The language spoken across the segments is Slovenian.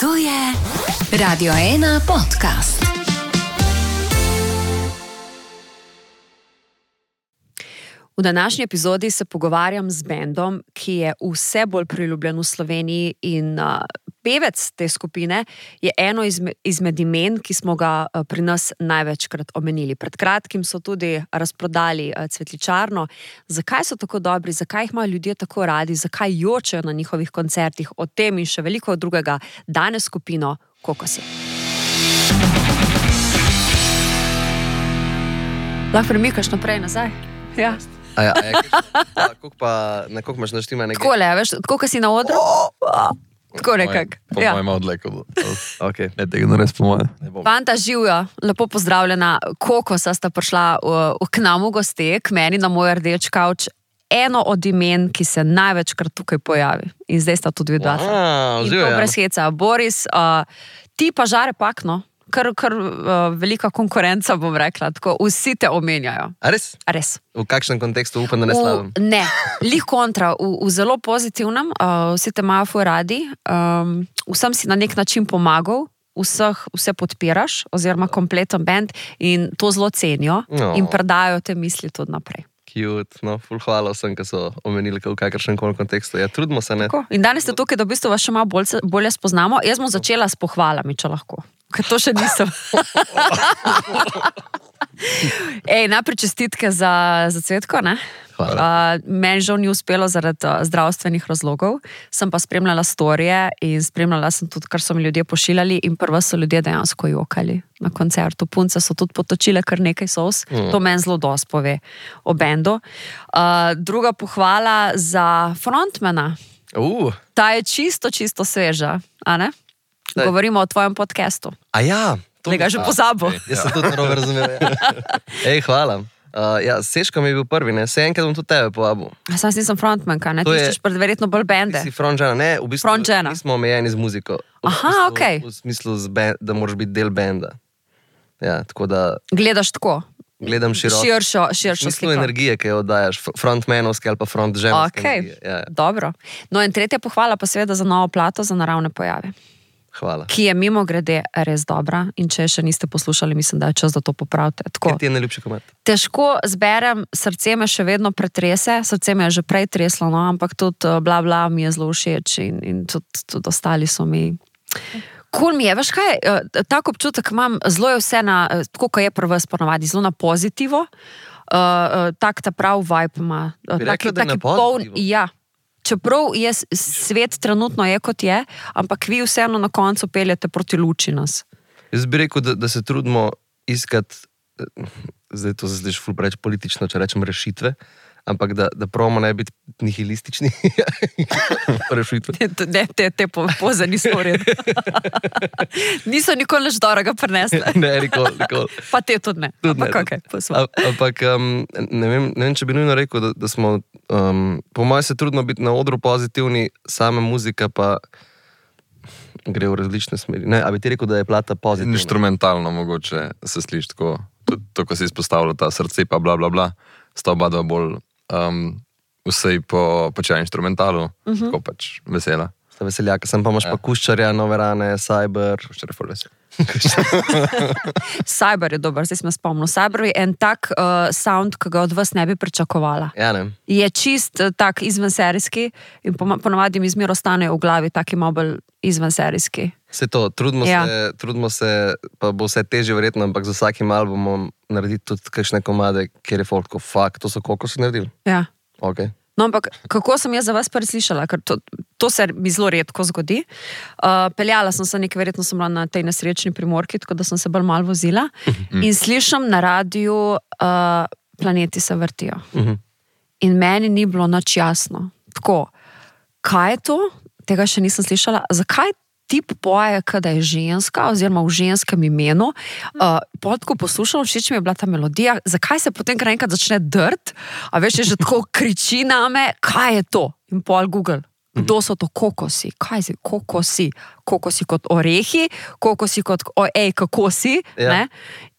To je Radio 1 podcast. V današnji epizodi se pogovarjam z bendom, ki je vse bolj priljubljen v Sloveniji in pevec te skupine je eno izmed imen, ki smo ga pri nas največkrat omenili. Pred kratkim so tudi razprodali Cvetličarno. Zakaj so tako dobri, zakaj jih imajo ljudje tako radi, zakaj jočejo na njihovih koncertih, o tem in še veliko drugega danes skupino Kokosi. Lahko premikaš naprej, nazaj? Ja. Na koliko imaš naštima nekaj? Takole, veš, tako si na odru? Tako nekak. Po mojem odleku. Ok. Ne, tega ne res po moje. Fanta, živijo, lepo pozdravljena. Kokosa sta prišla k nam v goste, k meni na moj rdeč kavč. Eno od imen, ki se največkrat tukaj pojavi. In zdaj sta tudi dva. In to brez heca. Boris, ti pa žare pakno. Kar velika konkurenca, bom rekla. Tako, vsi te omenjajo. A res? A res. V kakšnem kontekstu upam, da ne slavim? Ne, lih kontra. V zelo pozitivnem. Vsi te imajo fuj radi. Vsem si na nek način pomagal. Vse podpiraš, oziroma kompleten band. In to zelo cenijo. In predajo te misli tudi naprej. Cute, no, ful hvala vsem, ki so omenili v kakršnem koli kontekstu. Ja, trudimo se, ne? Tako. In danes ste tukaj, da v bistvu vas še malo bolje spoznamo. Jaz bom začela s pohvalami, če lahko. Ker to še nisem. Najprej čestitke za Cvetko, ne? Hvala. Meni žal ni uspelo zaradi zdravstvenih razlogov. Sem pa spremljala storije in spremljala sem tudi, kar so mi ljudje pošiljali in prva so ljudje dejansko jokali na koncertu. Punce so tudi potočile kar nekaj sos. To meni zelo dosti pove o bendu. Druga pohvala za frontmana. Ta je čisto sveža, a ne? Govorimo o tvojem podcastu. A ja. Tega že pozabil. Jaz sem tudi narobe razumel. Hvala. Seško mi je bil prvi, ne? Se enkrat bom tudi tebe povabil. Sam nisem frontmanka, ne? Ti iščeš verjetno bolj bende. Ti si frontžena, ne? V bistvu nismo omejeni z muziko. Aha, okej. V smislu, da moraš biti del benda. Ja, tako da... Gledaš tako? Gledam širšo sliko. V smislu energije, ki jo oddajaš, frontmanovske ali pa frontženovske energije. Ja. Dobro. No in tretja pohvala pa seveda za novo plato, za naravne pojave. Hvala. Ki je mimo grede res dobra in če še niste poslušali, mislim, da je čas, da to popravite. Kaj ti je najljubši komat? Težko zberem, srce me še vedno pretrese, srce me je že prej treslo, no, ampak tudi bla bla mi je zelo všeč in tudi ostali so mi... Cool mi je, veš kaj, tak občutek imam, zelo je vse na, tako ko je prvo ponavadi, zelo na pozitivo, tak ta prav vibe ima. Bi rekla, da je na pozitivo? Ja. Čeprav je svet trenutno je, kot je, ampak vi vseeno na koncu peljete proti luči nas. Jaz bi rekel, da se trudimo iskati, zdaj to se sliši ful preveč politično, če rečem rešitve, ampak da probamo ne biti nihilistični. Rešitve. Te poze niso v redu. Niso nikoli nič dobrega prinesli. Ne, nikoli. Pa te tudi ne. Ampak ne vem, če bi nujno rekel, da smo, po mojem se trudno biti na odru pozitivni, sama muzika pa gre v različne smeri. Ne, a bi ti rekel, da je plata pozitivna? Inštrumentalno mogoče se sliši tako, to, ko si izpostavlja ta srce pa bla bla bla, sta oba dva bolj vsej po počeja inštrumentalu, tako pač vesela. Sta veseljaka, sem pa imaš pa Kuščarja, Nove rane, Cyber. Kuščar je ful vesel. Cyber je dober, zdaj sem spomnil. Cyber je en tak sound, ki ga od vas ne bi pričakovala. Ja, ne. Je čist tak izvenserijski in ponavadi mi zmer ostane v glavi taki malo bolj izvenserijski. Se to, trudimo se, pa bo vse težje verjetno, ampak z vsakim albumom narediti tudi kakšne komade, kjer je folk, fuck, to so Kokosi naredili? Ja. Ok. No, ampak kako sem jaz za vas preslišala, ker to se mi zelo redko zgodi. Peljala sem se nekaj, verjetno sem bila na tej nesrečni Primorki, tako da sem se bolj malo vozila in slišam na radiju Planeti se vrtijo. In meni ni bilo nič jasno. Tako, kaj je to? Tega še nisem slišala. Zakaj tip poje, kada je ženska, oziroma v ženskem imenu? Ko poslušam, všeč mi je bila ta melodija. Zakaj se potem kar enkrat začne drt? A veš, je že tako kriči name, kaj je to? In pol Google. Kdo so to kokosi? Kaj si? Kokosi. Kokosi kot orehi, kokosi kot kako si. Ja. Ne?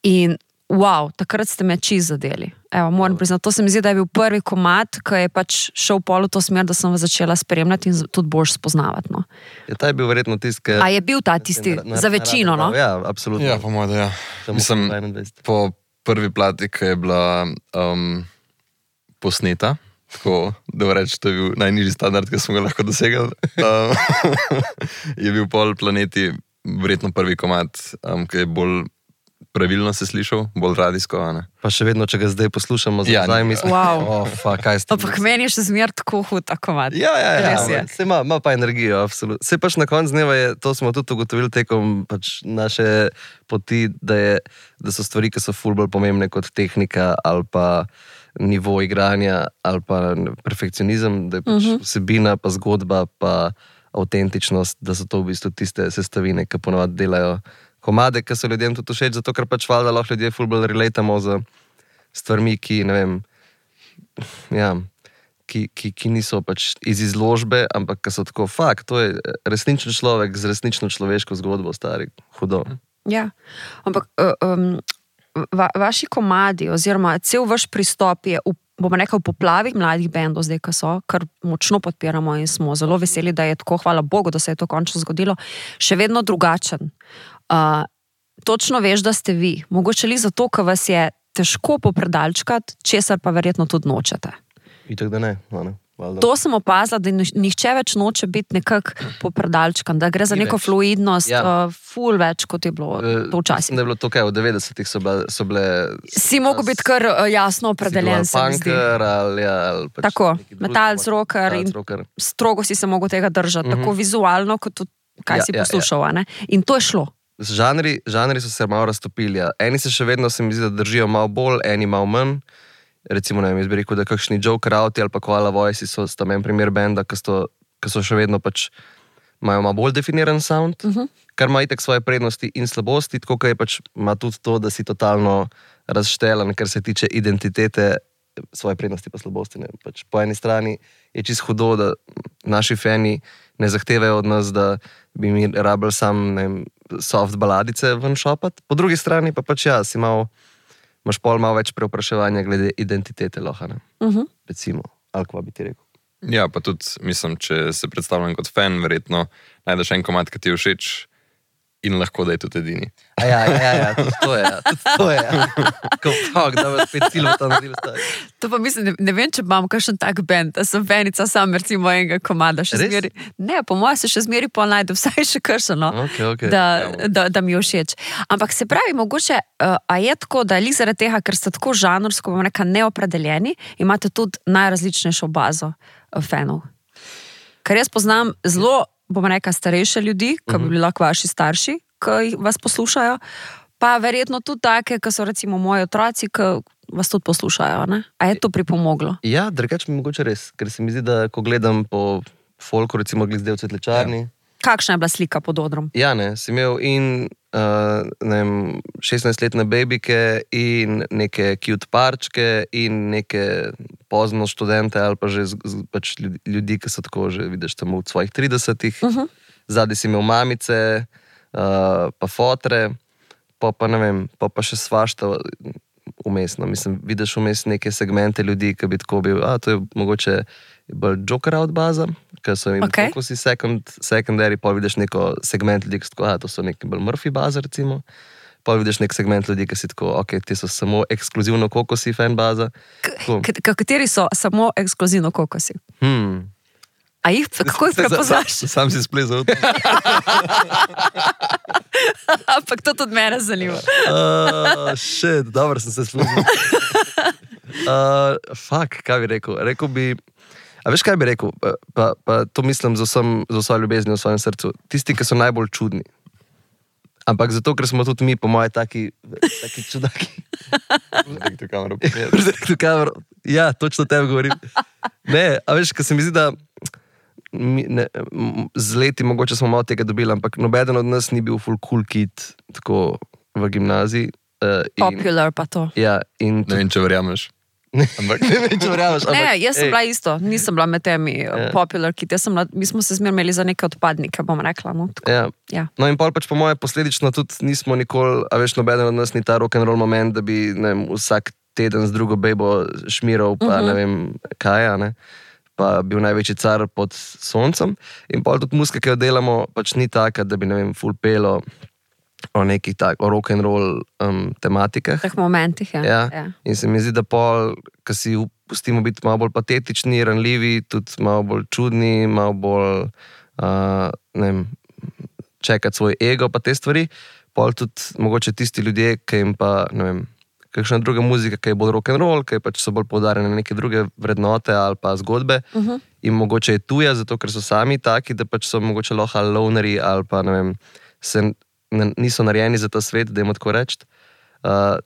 In wow, takrat ste me čisto zadeli. Evo, moram priznati, to se mi zdi, da je bil prvi komad, ki je pač šel pol v to smer, da sem vas začela spremljati in tudi boljš spoznavati. No. Ja, ta je bil verjetno tisti, A je bil ta tisti za večino, no? Ja, absolutno. Ja, po mojem, ja. Mislim, po prvi plati, ki je bila posneta, tako da reči, to je bil najnižji standard, ki smo ga lahko dosegli, je bil pol planeti verjetno prvi komad, ki je bolj pravilno se slišal, bolj radijsko. Pa še vedno, če ga zdaj poslušamo, zdaj mislim, kaj ste. Ampak meni je še zmer tako hud ta komad. Ja, se ima pa energijo, absolutno. Se pač na koncu dneva je, to smo tudi ugotovili tekom pač naše poti, da so stvari, ki so ful bolj pomembne kot tehnika ali pa nivo igranja ali pa perfekcionizem, da je pač vsebina, pa zgodba, pa avtentičnost, da so to v bistvu tiste sestavine, ki ponovadi delajo komade, ki so ljudem tudi všeč, zato ker pač valjda lahko ljudje ful bolj relatamo z stvarmi, ki, ne vem, ja, ki niso pač iz izložbe, ampak ki so tako, to je resničen človek z resnično človeško zgodbo, stari, hudo. Ja, ampak vaši komadi oziroma cel vaš pristop je bomo rekel, v poplavi mladih bendov zdaj, ki so, kar močno podpiramo in smo zelo veseli, da je tako, hvala Bogu, da se je to končno zgodilo, še vedno drugačen. Točno veš, da ste vi. Mogoče li zato, ker vas je težko popredalčkati, česar pa verjetno tudi nočete. Itak da ne, To sem opazila, da nihče več noče biti nekako popredalčkan, da gre za neko fluidnost, ful več, kot je bilo to včasih. Da je bilo to kaj, v 90-ih so bile... Si mogel biti kar jasno opredeljen, se mi zdi. Ali pač tako, metalc, rocker in strogo si se mogel tega držati, tako vizualno, kot tudi kaj si poslušal. In to je šlo. Žanri so se malo raztopili. Eni se še vedno, se mi zdi, da držijo malo bolj, eni malo manj. Recimo, ne vem, jaz bi rekel, da kakšni Joe Crowty ali pa Koala Voice sta meni primer benda, ki so še vedno pač imajo malo bolj definiran sound, kar ima itak svoje prednosti in slabosti, tako kaj pač ima tudi to, da si totalno razštelan, kar se tiče identitete, svoje prednosti pa slabosti. Ne. Pač po eni strani je čisto hudo, da naši fani ne zahtevajo od nas, da bi mi rabili sam, ne vem, soft baladice ven šopat. Po drugi strani pa pač si imaš pol malo več preopraševanja glede identitete lohane. Recimo, ali kva bi ti rekel. Ja, pa tudi, mislim, če se predstavljam kot fan, verjetno najdeš en komad, ki ti je všeč in lahko da je tudi edini. Ja, tudi to je. Ko da vas spet cilj v tam naredil stari. To pa mislim, ne vem, če imam kakšen tak band, da sem fanica sam, recimo enega komada. Ne, po mojem se še zmeri pol najde, vsaj še kakšen, da mi je všeč. Ampak se pravi, mogoče, a je tako, da je zaradi tega, ker ste tako žanrsko, bom rekla, neopredeljeni, imate tudi najrazličnejšo bazo fanov. Ker jaz poznam zelo, bom rekla, starejše ljudi, ki bi bili lahko vaši starši, ki vas poslušajo, pa verjetno tudi take, ki so recimo moji otroci, ki vas tudi poslušajo, ne? A je to pripomoglo? Ja, drugače mi mogoče res, ker se mi zdi, da ko gledam po folku, recimo glede v Cvetličarni. Kakšna je bila slika pod odrom? Ja, ne, si imel in 16-letne babike in neke cute parčke in neke pozno študente ali pa že pač ljudi, ki so tako že, vidiš, tam v svojih 30-ih. Zadaj si imel mamice, pa fotre, pa ne vem, pa še svašta umestno. Mislim, vidiš vmes neke segmente ljudi, ki bi tako bil, to je mogoče bolj Joker out baza, ker so jim tako si secondary, pa vidiš neko segment ljudi, ki so tako, to so neki bolj Murphy baza, recimo. Pa vidiš nek segment ljudi, ki si tako, ti so samo ekskluzivno kokosi fan baza. Kateri so samo ekskluzivno kokosi? A jih, kako jih prepoznaš? Sam si splezal. Ampak to tudi mene zanima. Dobro sem se splezal. Kaj bi rekel? Rekel bi, a veš, kaj bi rekel? Pa to mislim z vso ljubeznjo v svojem srcu. Tisti, ki so najbolj čudni. Ampak zato, ker smo tudi mi, po moje, taki čudaki. Zdaj kamero. Ja, točno tebe govorim. Ne, a veš, ker se mi zdi, da z leti mogoče smo malo tega dobili, ampak nobeden od nas ni bil full cool kid tako v gimnaziji. Popular pa to. Ja, in ne vem, če verjameš. Ne vem, če verjameš. Ne, jaz sem bila isto, nisem bila med temi popular kid, mi smo se zmer imeli za neke odpadnike, bom rekla. Ja. No in pol pač po moje posledično tudi nismo nikoli, a veš, nobeden od nas ni ta rock'n'roll moment, da bi vsak teden z drugo bejbo šmiral, pa ne vem kaj, ne. Pa bil največji car pod soncem. In pa tudi muzika, ki jo delamo, pač ni taka, da bi, ne vem, full pelo o nekih o rock and roll tematikah. V teh momentih, Ja. In se mi zdi, da pol, ko si pustimo biti malo bolj patetični, ranljivi, tudi malo bolj čudni, malo bolj, ne vem, čekati svoj ego pa te stvari, pol tudi mogoče tisti ljudje, ki jim pa, ne vem, kakšna druga muzika, ki je bolj rock and roll, ki pač so bolj poudarjene na neke druge vrednote ali pa zgodbe, in mogoče je tuja, zato ker so sami taki, da pač so mogoče lahko lonerji ali pa, ne vem, niso narejeni za ta svet, da jim tako reči.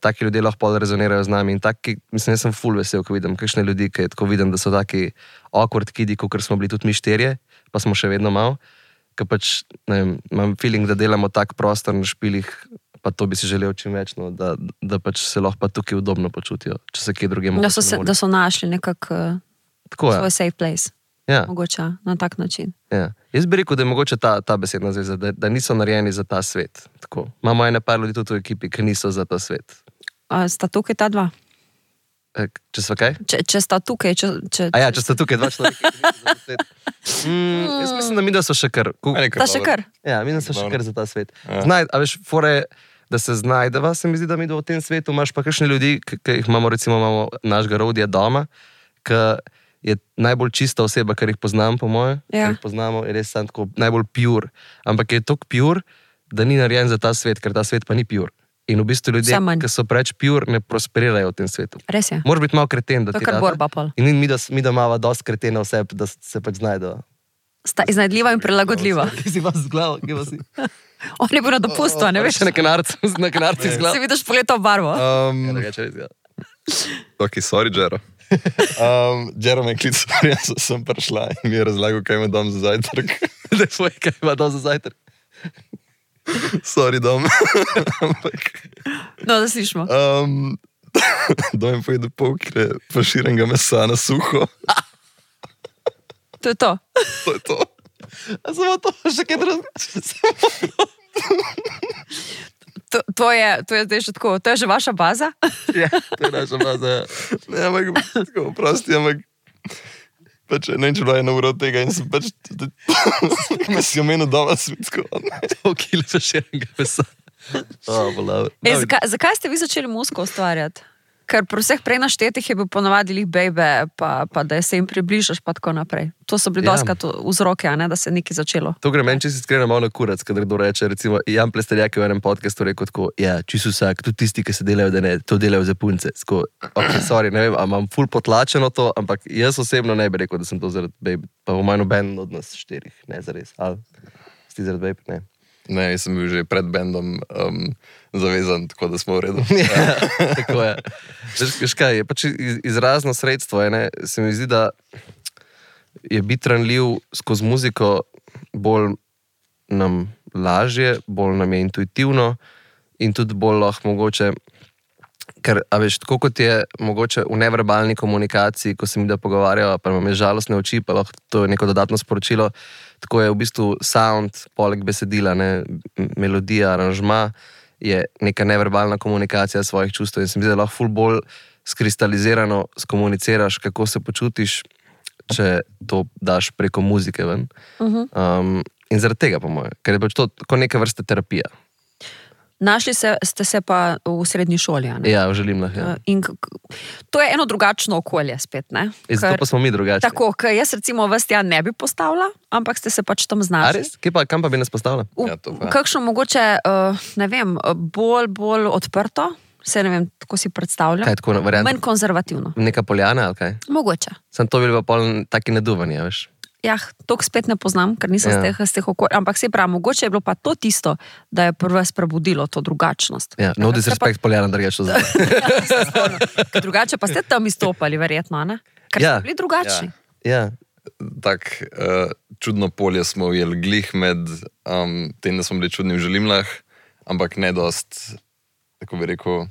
Taki ljudje lahko pol rezonirajo z nami in taki, mislim, jaz sem ful vesel, ko vidim kakšne ljudi, ki tako vidim, da so taki awkward kidi, kot smo bili tudi mi štirje, pa smo še vedno malo, ker pač, ne vem, imam feeling, da delamo tak prostor na špilih, pa to bi si želel čim več, no, da pač se lahko pa tukaj udobno počutijo, če se kje drugje mogoče. Da so našli nekako svoj safe place. Ja. Mogoče na tak način. Ja. Jaz bi rekel, da je mogoče ta besedna zveza, da niso narejeni za ta svet. Tako. Imamo ene par ljudi tudi v ekipi, ki niso za ta svet. Sta tukaj ta dva? Če so kaj? Če sta tukaj. Če sta tukaj dva človeka, ki niso za ta svet. Jaz mislim, da mi da so še kar. Ta še kar? Ja, mi da so še kar za ta svet. A veš, fore, da se znajdeva, se mi zdi, da mi da v tem svetu imaš pa kakšne ljudi, ki jih imamo, recimo imamo našega Rodija doma, ki je najbolj čista oseba, kar jih poznam, po moje. Kar jih poznamo, je res sam tako najbolj pure. Ampak je toliko pure, da ni narejen za ta svet, ker ta svet pa ni pure. In v bistvu ljudje, ki so preveč pure, ne prosperirajo v tem svetu. Res je. Moraš biti malo kreten, da ti da. To je kar borba pol. In mi da imamo dosti kretena vse, da se pač znajdejo. Sta iznajdljiva in prilagodljiva. Ti si vas z glavo, kje vas si? On je bil na dopustu, ne veš? Še na kanarcu z glavo. Si vidiš poletov barvo. Ok, sorry, Jero. Jero me je klical, jaz sem prišla in mi je razlagal, kaj ima dom za zajtrk. Da je tvoj, kaj ima dom za zajtrk. Sorry, dom. No, da slišimo. Dom je pojedel pol kile faširenega mesa na suho. To je to. To je to. A samo to, še kaj drugega. To je zdaj še tako, to je že vaša baza? Ja, to je naša baza. Ne, ampak, tako, prosti, ampak pač ne vem, če bila ena ura od tega in sem pač me si omenil doma svitsko. To kile faširenega mesa. Zakaj ste vi začeli muziko ustvarjati? Ker pri vseh prej naštetih je bil ponavadi lih bejbe, pa da se jim približaš, pa tako naprej. To so bili doskrat vzroke, da se nekaj začelo. To gre meni, če si iskreno malo na kurac, kadar kdo reče, recimo, Jan Plesterjak je v enem podcastu rekel tako, ja, čisto vsak, tudi tisti, ki se delajo, da ne, to delajo za punce. Tako, ok, sorry, ne vem, a imam ful potlačeno to, ampak jaz osebno ne bi rekel, da sem to zaradi bejbe, pa v manj noben od nas 4, ne zares. Ali si zaradi bejbe, ne. Ne, jaz sem bil že pred bendom zavezan, tako da smo v redu. Ja, tako je. Veš kaj, je pač izrazno sredstvo, se mi zdi, da je biti ranljiv skozi muziko bolj nam lažje, bolj nam je intuitivno in tudi bolj lahko mogoče, ker, a veš, tako kot je mogoče v neverbalni komunikaciji, ko se mi da pogovarjajo, pa imam žalostne oči, pa lahko to je neko dodatno sporočilo, tako je v bistvu sound, poleg besedila, melodija, aranžma, je neka neverbalna komunikacija svojih čustev in se mi zdi, da lahko ful bolj skristalizirano skomuniciraš, kako se počutiš, če to daš preko muzike ven. In zaradi tega, po moje, ker je pač to kot neka vrsta terapija. Našli ste se pa v srednji šoli, ne? Ja, v Želimlah, ja. In to je eno drugačno okolje spet, ne? Zato pa smo mi drugačni. Tako, ker jaz recimo vas tja ne bi postavila, ampak ste se pač tam znašli. A res? Kam pa bi nas postavila? Kakšno mogoče, ne vem, bolj odprto, se ne vem, tako si predstavljam. Kaj tako variant? Manj konzervativno. Neka Poljana ali kaj? Mogoče. Sem to bil pa pol taki naduvanje, veš? Ja, toliko spet ne poznam, ker nisem z teh okolj, ampak se pravi, mogoče je bilo pa to tisto, da je prvo prebudilo to drugačnost. Ja, no disrespekt Poljana, da rečeš za to. Drugače pa ste tam izstopali, verjetno, ne? Ker ste bili drugačni. Ja. Tak čudno polje smo ujeli glih med tem, da smo bili čudni v Želimlah, ampak ne dost, tako bi rekel,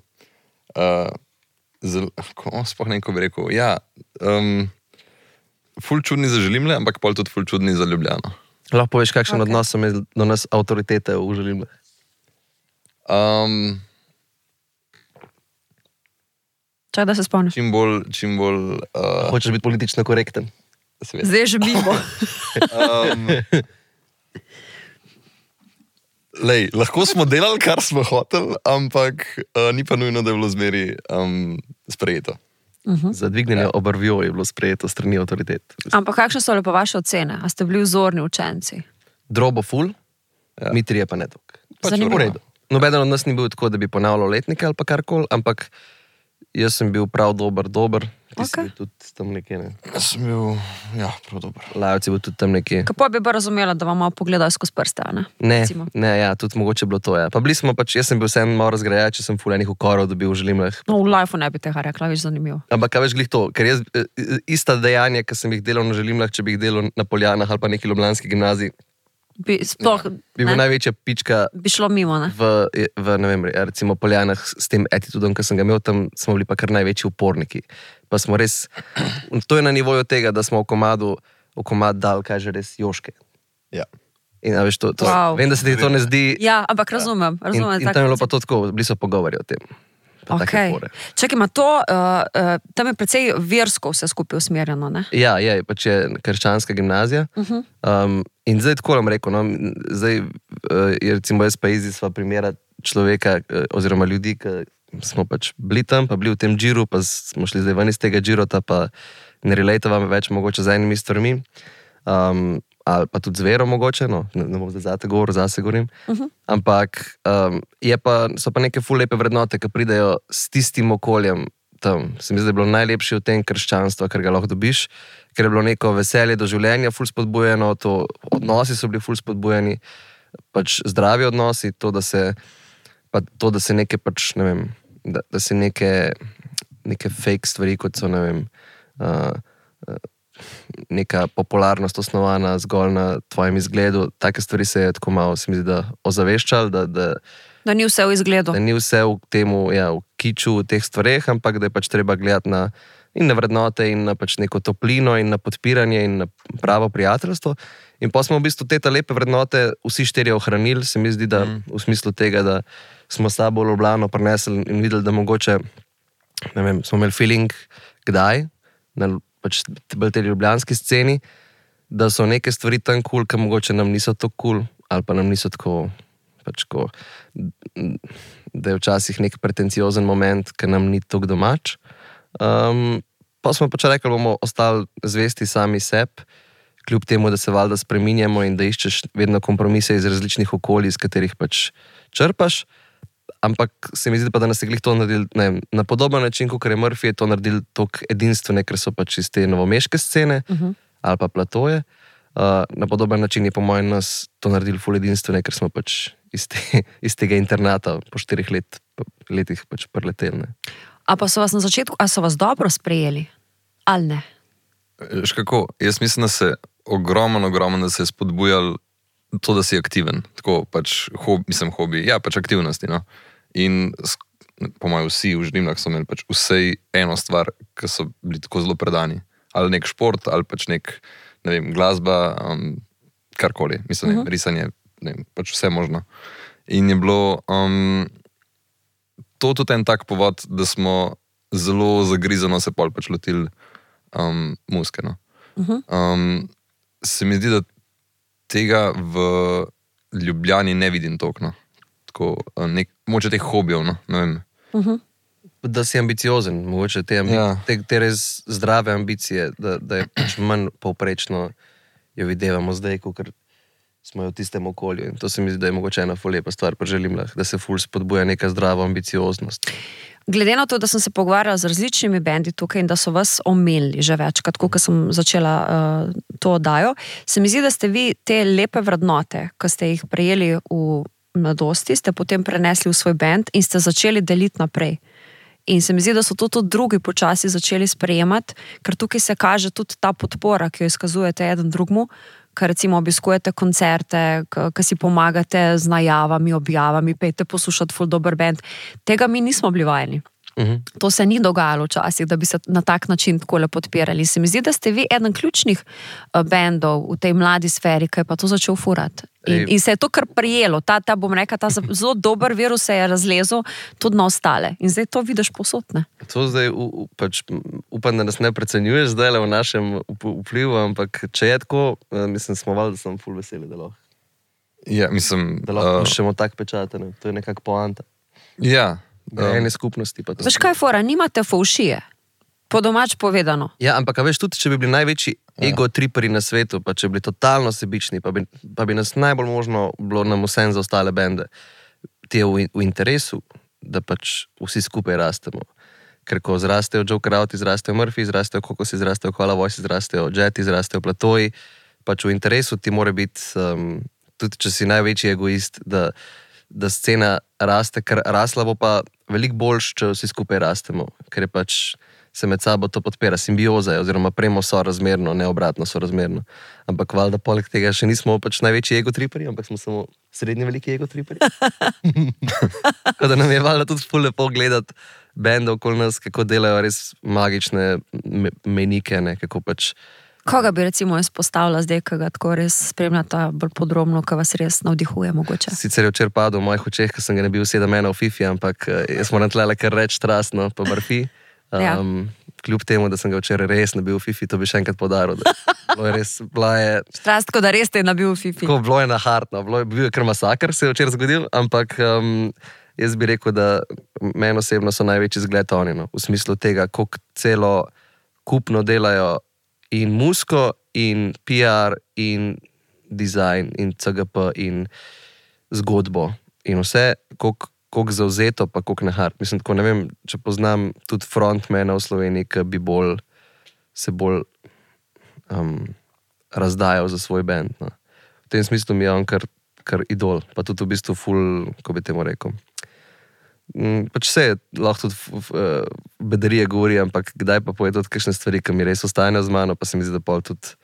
sploh ne, ko bi rekel, ja, ful čudni za Želimle, ampak pol tudi ful čudni za Ljubljano. Lahko poveš, kakšen odnos so imeli do nas avtoritete v Želimle? Čakaj, da se spomnim. čim bolj Hočeš biti politično korekten? seveda. Zdaj že mimo. Lej, lahko smo delali, kar smo hoteli, ampak ni pa nujno, da je bilo zmeri sprejeto. Za dvignjenje obrvjo je bilo sprejeto strani avtoritet. Ampak kakšne so lepo vaše ocene? A ste bili vzorni učenci? Drobo ful, mi trije pa ne toliko. Zanimivo. V redu. Nobeden od nas ni bil tako, da bi ponavljal letnike ali pa karkoli, ampak jaz sem bil prav dober. Ti si bil tudi tam nekje, ne? Jaz sem bil, prav dober. Lajovci je bil tudi tam nekje. Kako bi pa razumela, da vam malo pogledajo skozi prste, ne? Recimo. Ne, tudi mogoče bilo to, ja. Pa bili smo pač, jaz sem bil vsem malo razgrajač, če sem ful enih ukorov dobil v želimlah. No, v lifeu ne bi tega rekla, več zanimivo. Ampak kaj veš glih to, ker jaz ista dejanja, ki sem jih delal na želimlah, če bi jih delal na Poljanah ali pa neki ljubljanski gimnaziji, Bi bil največja pička bi šlo mimo, ne? v ne vem, recimo Poljanah s tem attitudom, ki sem ga imel, tam smo bili pa kar največji uporniki. Pa smo res, to je na nivoju tega, da smo v komad dal, kaj že res, joške. Ja. In veš, Wow. vem, da se ti to ne zdi. Ja, ampak razumem. In tam je bilo pa to tako, bili so pogovori o tem. Okay. Čakaj, ima to, tam je precej versko vse skupaj usmerjeno, ne? Ja, pač je krščanska gimnazija. In zdaj tako vam rekel, no, zdaj je recimo jaz pa izisva primera človeka oziroma ljudi, ki smo pač bili tam, pa bili v tem džiru, pa smo šli zdaj ven iz tega džirota, pa ne relatevam več mogoče z enimi stvarmi, ali pa tudi z vero mogoče, no, ne bom zdaj zate govoril, zase govorim, ampak so pa neke ful lepe vrednote, ki pridejo s tistim okoljem tam. Se mi zdi, da je bilo najlepše v tem krščanstva, kar ga lahko dobiš, ker je bilo neko veselje do življenja ful spodbujeno, odnosi so bili ful spodbujeni, pač zdravi odnosi, to, da se neke pač, ne vem, da se neke fake stvari, kot so, ne vem, neka popularnost osnovana zgolj na tvojem izgledu, take stvari se je tako malo, se mi zdi, da ozaveščali, Da ni vse v izgledu. Da ni vse v temu, v kiču, v teh stvareh, ampak da je pač treba gledati in na vrednote, in na pač neko toplino, in na podpiranje, in na pravo prijateljstvo. In pa smo v bistvu te lepe vrednote vsi štirje ohranili, se mi zdi, da v smislu tega, da smo s sabo v Ljubljano prinesli in videli, da mogoče, ne vem, smo imeli feeling, kdaj, na pač bolj tej ljubljanski sceni, da so neke stvari tam cool, ki mogoče nam niso tako cool, ali pa nam niso tako, pač ko, da je včasih nek pretenciozen moment, ki nam ni tako domač. Pa smo pač rekli, bomo ostali zvesti sami sebi, kljub temu, da se valjda spreminjamo in da iščeš vedno kompromise iz različnih okolij, iz katerih pač črpaš. Ampak se mi zdi pa, da nas je glih to naredili na podoben način, kot je Murphy, je to naredili toliko edinstvene, ker so pač iz te novomeške scene ali pa platoje. Na podoben način je po mojem nas to naredili ful edinstvene, ker smo pač iz tega internata po 4 letih pač preleteli. A pa so vas na začetku, a so vas dobro sprejeli? Ali ne? Veš kako, jaz mislim, da se ogromno, da se je spodbujal to, da si aktiven. Tako pač, hobi, pač aktivnosti, no. In po mojem vsi v želimlah so imeli pač vsej eno stvar, ki so bili tako zelo predani. Ali nek šport, ali pač nek, ne vem, glasba, karkoli. Mislim, risanje, ne vem, pač vse možno. In je bilo to tudi en tak povod, da smo zelo zagrizano se pol pač lotili muzike, no. Se mi zdi, da tega v Ljubljani ne vidim toliko, no. Tako, mogoče teh hobijev, no, ne vem. Da si ambiciozen, mogoče te res zdrave ambicije, da je pač manj povprečno jo videvamo zdaj, ker smo jo v tistem okolju. In to se mi zdi, da je mogoče ena ful lepa stvar pri želimlah, da se ful spodbuja neka zdrava ambicioznost. Glede na to, da sem se pogovarjala z različnimi bendi tukaj in da so vas omenili že večkrat, ko sem začela to oddajo, se mi zdi, da ste vi te lepe vrednote, ki ste jih prejeli v mladosti, ste potem prenesli v svoj bend in ste začeli deliti naprej. In se mi zdi, da so to tudi drugi počasi začeli sprejemati, ker tukaj se kaže tudi ta podpora, ki jo izkazujete eden drugmu, ker recimo obiskujete koncerte, ki si pomagate z najavami, objavami, pejte poslušati ful dober band. Tega mi nismo bili vajeni. To se ni dogajalo včasih, da bi se na tak način takole podpirali. Se mi zdi, da ste vi eden ključnih bendov v tej mladi sferi, ki je pa to začel furati. In se je to kar prijelo. Bom rekla, ta zelo dober virus se je razlezel tudi na ostale. In zdaj to vidiš posod, ne? To zdaj pač upam, da nas ne precenjuješ zdaj v našem vplivu, ampak če je tako, mislim, smo valjda, da sem ful veseli, da lahko. Ja, mislim... Da lahko puščemo tak pečat, ne? To je nekak poanta. Ja. Ene skupnosti pa to. Veš kaj, fora, nimate fovšije. Po domač povedano. Ja, ampak veš, tudi če bi bili največji ego-triperi na svetu, pa če bi bili totalno sebični, pa bi nas najbolj možno bilo nam vsem za ostale bende. Ti je v interesu, da pač vsi skupaj rastemo. Ker ko zrastejo Joe Crowd, zrastejo Murphy, zrastejo Kokos, zrastejo Koala Voice, zrastejo Jeti, zrastejo Platoji, pač v interesu ti mora biti, tudi če si največji egoist, da scena raste, ker rasla bo pa veliko boljš, če vsi skupaj rastemo, ker je pač se med sabo to podpira, simbioza je, oziroma premo sorazmerno, ne obratno sorazmerno. Ampak valjda poleg tega še nismo pač največji ego-triperi, ampak smo samo srednji veliki ego-triperi. Tako da nam je valjda tudi ful lepo gledati bende okoli nas, kako delajo res magične menike, ne, kako pač... Koga bi recimo izpostavila zdaj, ki ga tako res spremljata bolj podrobno, ki vas res navdihuje mogoče? Sicer je včeraj padel v mojih očeh, ker sem ga ne bil 7 v FIFA, ampak jaz moram tlele kar reči strastno, pa Murphy. Kljub temu, da sem ga včeraj res nabil v FIFA, to bi še enkrat podaril. Bilo je res, Strastko, da res te je nabil v FIFA. Tako, bilo je nahartno, bil je kar masakr, se je včeraj zgodil, ampak jaz bi rekel, da meni osebno so največji zgled oni, no, v smislu tega, koliko celo kupno delajo in muziko, in PR, in dizajn, in CGP, in zgodbo. In vse, koliko zauzeto, pa koliko nehart. Mislim, tako ne vem, če poznam tudi frontmana v Sloveniji, ki bi se bolj razdajal za svoj band. No. V tem smislu mi je on kar idol, pa tudi v bistvu ful, ko bi temu rekel. Pač vse lahko tudi bedarije govori, ampak kdaj pa poje tudi kakšne stvari, ki mi res ostanejo z mano, pa se mi zdi, da pol tudi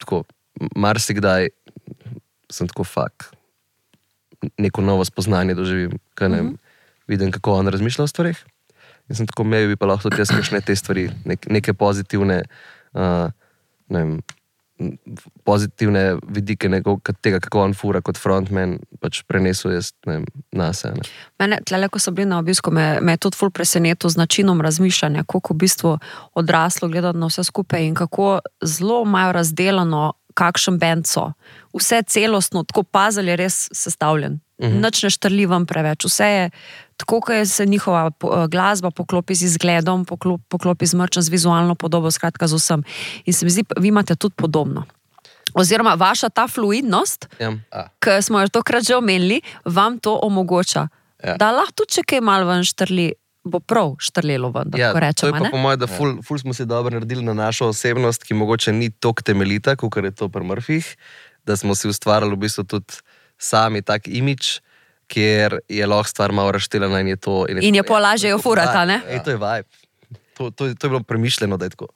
tako, marsikdaj sem tako neko novo spoznanje doživim, kaj ne vidim, kako on razmišlja o stvarih. In sem tako, bi pa lahko tudi jaz kakšne te stvari, neke pozitivne, ne vem, pozitivne vidike tega, kako on fura kot frontman, pač prenesel jaz nase. Mene, tlele, ko so bili na obisku, me je tudi ful presenetil z načinom razmišljanja, koliko v bistvu odraslo gledati na vse skupaj in kako zelo imajo razdelano, kakšen band so. Vse celostno, tako puzzle je res sestavljen. Nič ne štrli vam preveč. Vse je tako, kot se njihova glasba poklopi z izgledom, poklopi z merčem, z vizualno podobo, skratka z vsem. In se mi zdi, vi imate tudi podobno. Oziroma, vaša ta fluidnost, ki smo jo tokrat že omenili, vam to omogoča. Da lahko tudi, če kaj malo ven štrli, bo prav štrlelo ven, da tako rečemo. To je pa po moje, da ful smo si dobro naredili na našo osebnost, ki mogoče ni toliko temeljita, kot je to pri Murphyjih, da smo si ustvarjali v bistvu tudi sami tak imič, kjer je lahko stvar malo razšteljena in je to... In je polažje jo furata, ne? To je vibe. To je bilo premišljeno, da je tako.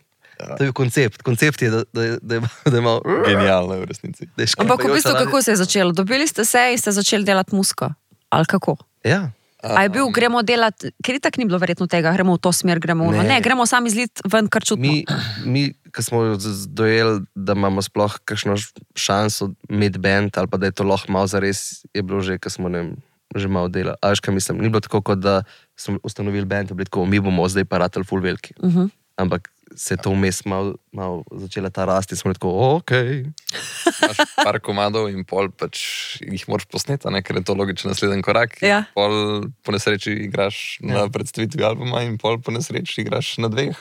To je koncept. Koncept je, da je malo... Genialno v resnici. Ampak v bistvu, kako se je začelo? Dobili ste se in ste začeli delati muziko? Ali kako? Ja. A je bil, gremo delati, ker itak ni bilo verjetno tega, gremo v to smer, gremo v ne, gremo sami zlit ven kar čutno. Mi, ko smo dojeli, da imamo sploh kakšno šanso imeti band, ali pa da je to lahko malo zares, je bilo že, ko smo že malo delali. A veš, kaj mislim, ni bilo tako, kot da smo ustanovili band, bili tako, mi bomo zdaj pa ratali ful veliki. Ampak se je to vmes malo začela ta rasti in smo tako, okej. Imaš par komadov in pol pač jih moraš posneti, ker je to logičen naslednji korak. Ja. Pol po nesreči igraš na predstavitvi albuma in pol po nesreči igraš na 2.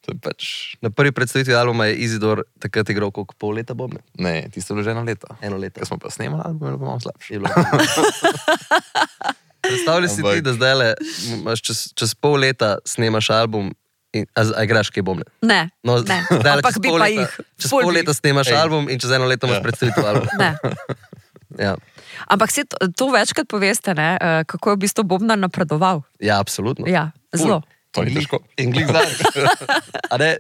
To je pač... Na prvi predstavitvi albuma je Izidor takrat igral koliko pol leta bobne? Ne, tisto je bilo že 1 leto. 1 leto. Ko smo pa snemali album, je bilo malo slabše. Predstavljaj si ti, da zdaj čez pol leta snemaš album. A igraš kaj bomne? Ne, no, ne. Ampak bi pa jih. Čez pol leta snemaš album in čez 1 leto imaš predstavitev album. Ne. Ja. Ampak to večkrat poveste, ne, kako je v bistvu Bobnar napredoval. Ja, absolutno. Ja, zelo. To ni težko. In glih zadnjič.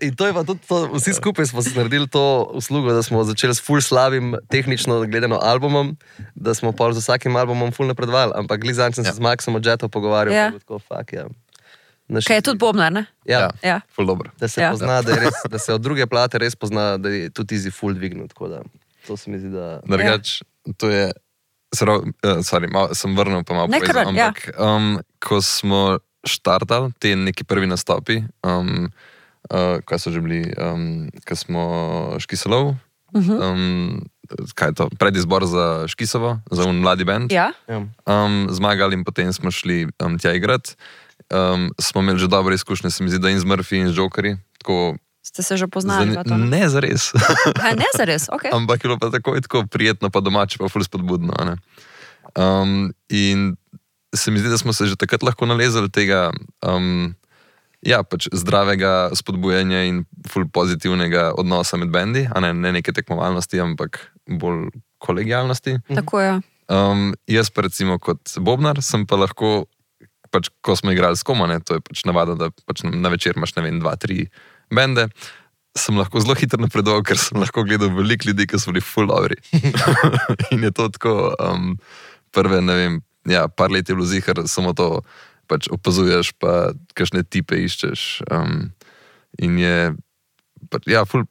In to je pa tudi, vsi skupaj smo si naredili to uslugo, da smo začeli s ful slabim tehnično gledano albumom, da smo pa z vsakim albumom ful napredovali, ampak glih zadnjič sem se z Maxom od Jettov pogovarjal. Ja. Tako, fuck, ja. Kaj je tudi bobnar, ne? Ja. Ja. Ful dobro. Da se pozna, da je res, da se od druge plate res pozna, da je tudi easy full dvignut, tako da to se mi zdi, da... Drugač, to je, sem vrnil pa malo povedal, ampak ko smo štartali te neki prvi nastopi, kaj so že bili, ko smo Škiselov, kaj je to, predizbor za Škisovo, za mladi band, Ja. zmagali in potem smo šli tja igrati. Smo imeli že dobre izkušnje, se mi zdi, da in z Murphy in z Jokerji, tako... Ste se že poznali? Ne zares. Ne zares, ok. Ampak je bilo pa tako prijetno, pa domače, pa ful spodbudno. Ne? In se mi zdi, da smo se že takrat lahko nalezali tega pač zdravega spodbujanja in ful pozitivnega odnosa med bendi, a ne neke tekmovalnosti, ampak bolj kolegijalnosti. Tako je. Jaz pa recimo kot bobnar sem pa lahko, pač ko smo igrali s Koma, to je pač navada, da pač na večer imaš, ne vem, 2-3 bende, sem lahko zelo hitro napredoval, ker sem lahko gledal veliko ljudi, ki so bili full dobri. In je to tako, prve, ne vem, par let je bilo zihar, samo to pač opazuješ, pa kakšne tipe iščeš. In je, ful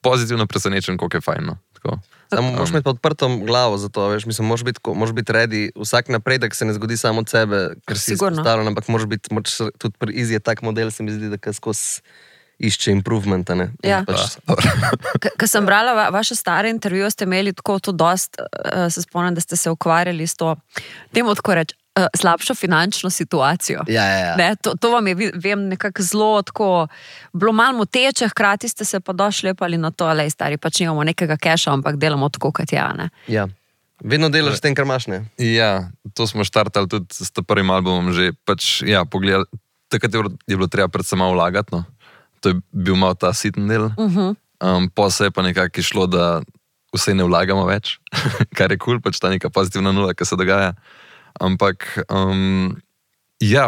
pozitivno presenečen, koliko je fajn, no. Tako. Samo moraš imeti pa odprto glavo za to, veš, mislim, moraš biti ready, vsak napredek se ne zgodi samo od sebe, ker si izpostavljen, ampak moraš tudi pri Easy je tak model, se mi zdi, da skozi išče improvementa, ne? Ja. Pač... Ko sem brala vaše stare intervjuje, ste imeli tako to dost, se spomnim, da ste se ukvarjali s to, temu tako reči, slabšo finančno situacijo. Ja. Ne, to vam je, vem, nekako zelo tako, bilo malo moteče, hkrati ste se pa došli lepali na to, lej stari, pač nimamo nekega keša, ampak delamo tako, kot je, ne? Ja. Vedno delaš s tem, kar imaš, ne? Ja, to smo štartali tudi s prvim albumom že, pač, pogledali, takrat je bilo treba predvsem malo vlagati, no. To je bil malo ta siten del. Po se je pa nekako išlo, da vse ne vlagamo več, kar je cool, pač ta neka pozitivna nula, ki se dogaja. Ampak,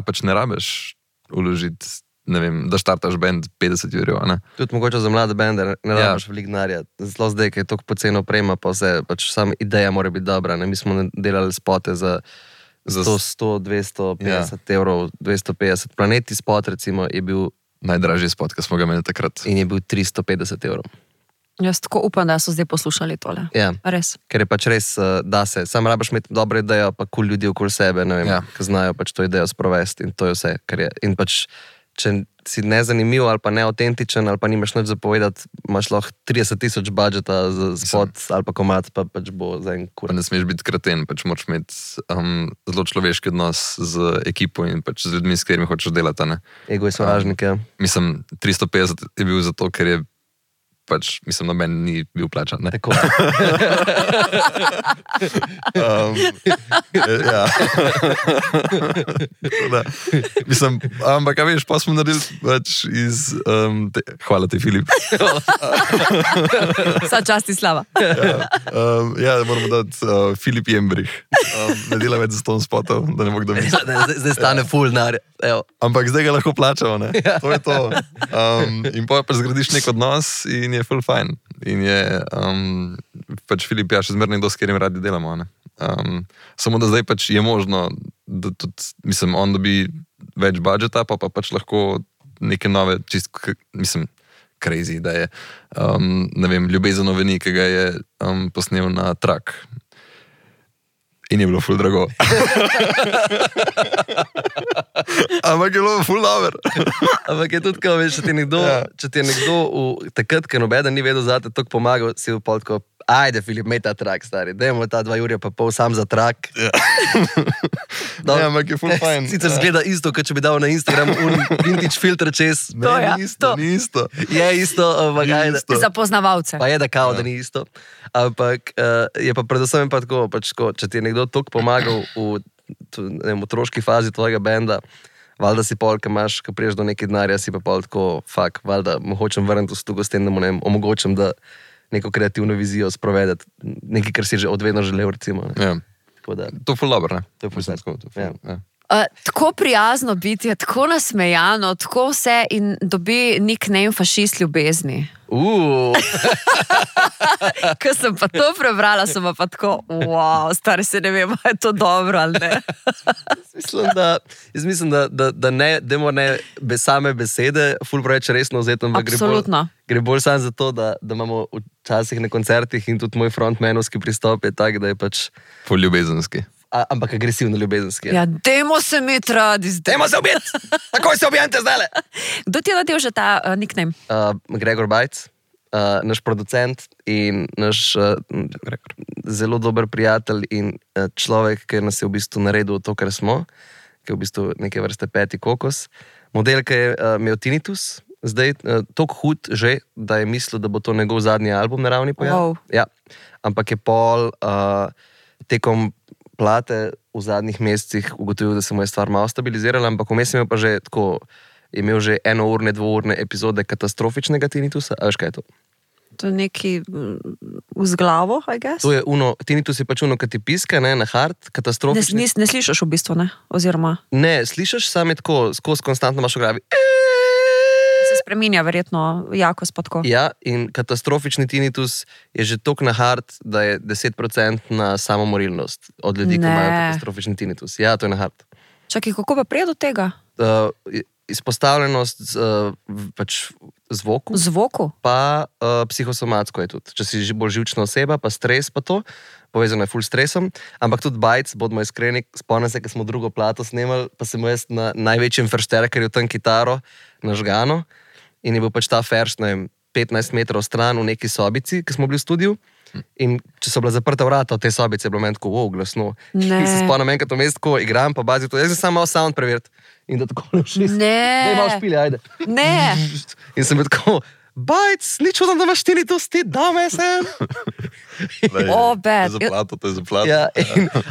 pač ne rabeš vložiti, ne vem, da štartaš band 50 €, ne? Tudi mogoče za mlade bende ne rabiš veliko denarja. Zelo zdaj, ki je toliko poceni oprema, pa vse, pač sama ideja mora biti dobra, ne? Mi smo delali spote za 100, 250 €, 250. Planeti spot, recimo, je bil najdražji spot, ki smo ga imeli takrat. In je bil 350 €. Jaz tako upam, da so zdaj poslušali tole. Ja. Res. Ker je pač res, da se. Sam rabiš imeti dobro idejo, pa cool ljudi okoli sebe, ne vem, ki znajo pač to idejo sprovesti in to je vse, kar je. In pač, če si nezanimiv ali pa neautentičen ali pa nimaš nič zapovedati, imaš lahko 30 000 budžeta za spot ali pa komad, pa pač bo za en kur. Ne smeš biti kreten, pač moraš imeti zelo človeški odnos z ekipo in pač z ljudmi, s katerimi hočeš delati, ne? Ego je sovražnik, ja. Mislim, 350 je bil zato, ker je pač, mislim, noben ni bil plačan, ne? Tako. Ja. Mislim, ampak, a veš, pa smo naredili pač iz... hvala ti, Filip. Vsa čast in slava. Moramo dati Filip Jembrih. Ne dela več za ston spotov, da ne bo kdo misli. Zdaj stane full nar. Ampak zdaj ga lahko plačamo, ne? To je to. In pa zgradiš nek odnos in je full fajn. In je pač Filip, še zmerno nekdo, s katerim radi delamo, ne? Samo da zdaj pač je možno, da tudi, mislim, on dobi več budžeta, pa pač lahko neke nove, mislim, crazy, da je, ne vem, Ljubezen oveni, ki ga je posnel na trak. In je bilo ful drago. Ampak je bilo ful dober. Ampak je tudi, ko veš, če ti je nekdo takrat, ker nobeden ni vedel zate, toliko pomagal, si v pol tako, ajde, Filip, imej ta trak, stari, dajmo ta 2 ure pa pol sam za trak. Ja. Ampak je ful fajn. Sicer zgleda isto, kot če bi dal na Instagram vintage filter čez. Ni isto. Je isto, ampak ajde. Za poznavalce. Pa je da kao, da ni isto. Ampak je pa predvsem pa tako, pač, če ti je nekdo toliko pomagal v otroški fazi tvojega benda, valjda si pol, ko priješ do nekaj denarja, si pa pol tako, valjda mu hočem vrniti v stugo s tem, da mu omogočam, da neko kreativno vizijo sprovedeti, nekaj, kar si že odvedno želel, recimo. Ja. Da, to je ful dobro, ne? to je ful sad. Ja. Tako prijazno biti, tako nasmejano, tako vse in dobi nickname fašist ljubezni. Ko sem pa to prebrala, sem pa tako, wow, stari se ne vem, je to dobro ali ne. Mislim, da ne, demo ne same besede, ful preveč resno vzeti, ampak gre bolj samo za to, da imamo včasih na koncertih in tudi moj frontmanovski pristop je tak, da je pač ful ljubezenski. Ampak agresivno ljubezenski. Ja, dajmo se imeti radi zdaj. Dajmo se ubiti! Takoj se ubijete zdaj! Kdo ti je nadel že ta nickname? Gregor Bajc, naš producent in naš zelo dober prijatelj in človek, ki nas je v bistvu naredil to, kar smo, ki je v bistvu neke vrste peti kokos. Model, ki je imel tinnitus, zdaj toliko hud že, da je mislil, da bo to njegov zadnji album na ravni pojav. Wow. Ja. Ampak je pol tekom plate v zadnjih mesecih ugotovil, da se mu je stvar malo stabilizirala, ampak vmes je imel pa že tako, je imel že 1-urne, 2-urne epizode katastrofičnega tinnitusa. A veš, kaj je to? To je neki z glavo, I guess? To je tinnitus je pač uno, kad ti piska, ne, na hard, katastrofični. Ne slišaš v bistvu, ne? Oziroma... Ne, slišaš, sam je tako, skozi konstantno imaš v glavi. Se spreminja verjetno jakost pa tako. Ja, in katastrofični tinnitus je že toliko na hard, da je 10% na samomorilnost od ljudi, ki imajo katastrofični tinnitus. Ja, to je na hard. Čakaj, kako pa prije do tega? Izpostavljenost pač zvoku. Zvoku? Pa psihosomatsko je tudi. Če si bolj živčna oseba, pa stres pa to, povezano je ful stresom, ampak tudi Bajc, bodimo iskreni, spomnim se, ko smo drugo plato snemali, pa sem jaz na največjem feršterkerju tam kitaro nažgano in je bil pač ta ferš, ne vem, 15 metrov stran v neki sobici, ki smo bili v studiu. In če so bila zaprta vrata od te sobice, je bilo meni tako, wow, glasno. In se spomnim enkrat v mestu, ko igram, pa bazi to, jaz sem samo malo sound preveriti. In da tako ne všli. Ne. Daj malo špili, ajde. Ne. In sem bil tako, Bajc, ni čudno, da imaš tinnitus, ti dame sem. Bad. To je za plato. Ja,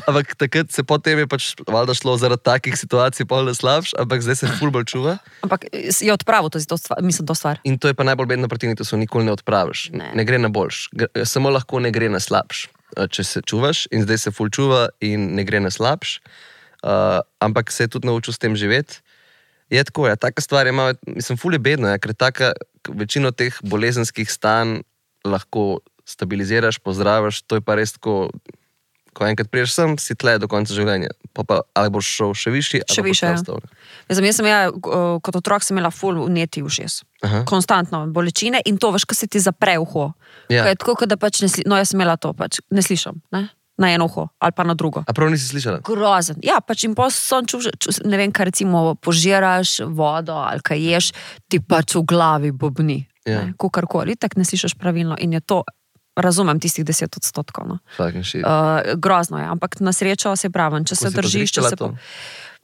ampak takrat se potem je pač valjda šlo zaradi takih situacij pol da slabš, ampak zdaj se ful bolj čuva. Ampak je odpravil to stvar. In to je pa najbolj bedno pri tinnitusu, nikoli ne odpraviš. Ne gre na boljš. Samo lahko ne gre na slabš, če se čuvaš in zdaj se ful čuva in ne gre na slabš. Ampak se je tudi naučil s tem živeti. Je tako, ja, taka stvar je malo, mislim, ful je bedno, ja, ker večino teh bolezenskih stanj lahko stabiliziraš, pozdraviš, to je pa res tako, ko enkrat priješ sem, si tle do konca življenja. Pa ali boš šel še višji, ali boš ostal. Jaz sem kot otrok sem imela ful vneti ušes. Konstantno bolečine in to veš, ko se ti zapre uho. Ja. Ko je tako, da pač jaz sem imela to, pač ne slišam, ne? Na eno uho ali pa na drugo. A prav nisi slišala? Grozen. Ja, pač in potem sem ne vem, kaj recimo požiraš vodo ali kaj ješ, ti pač v glavi bobni. Ja. Kukarkoli, tak ne slišaš pravilno in je to, razumem tistih 10%. No. Fucking shit. Grozno je, ampak na srečo se pravim, če se držiš, če se... to?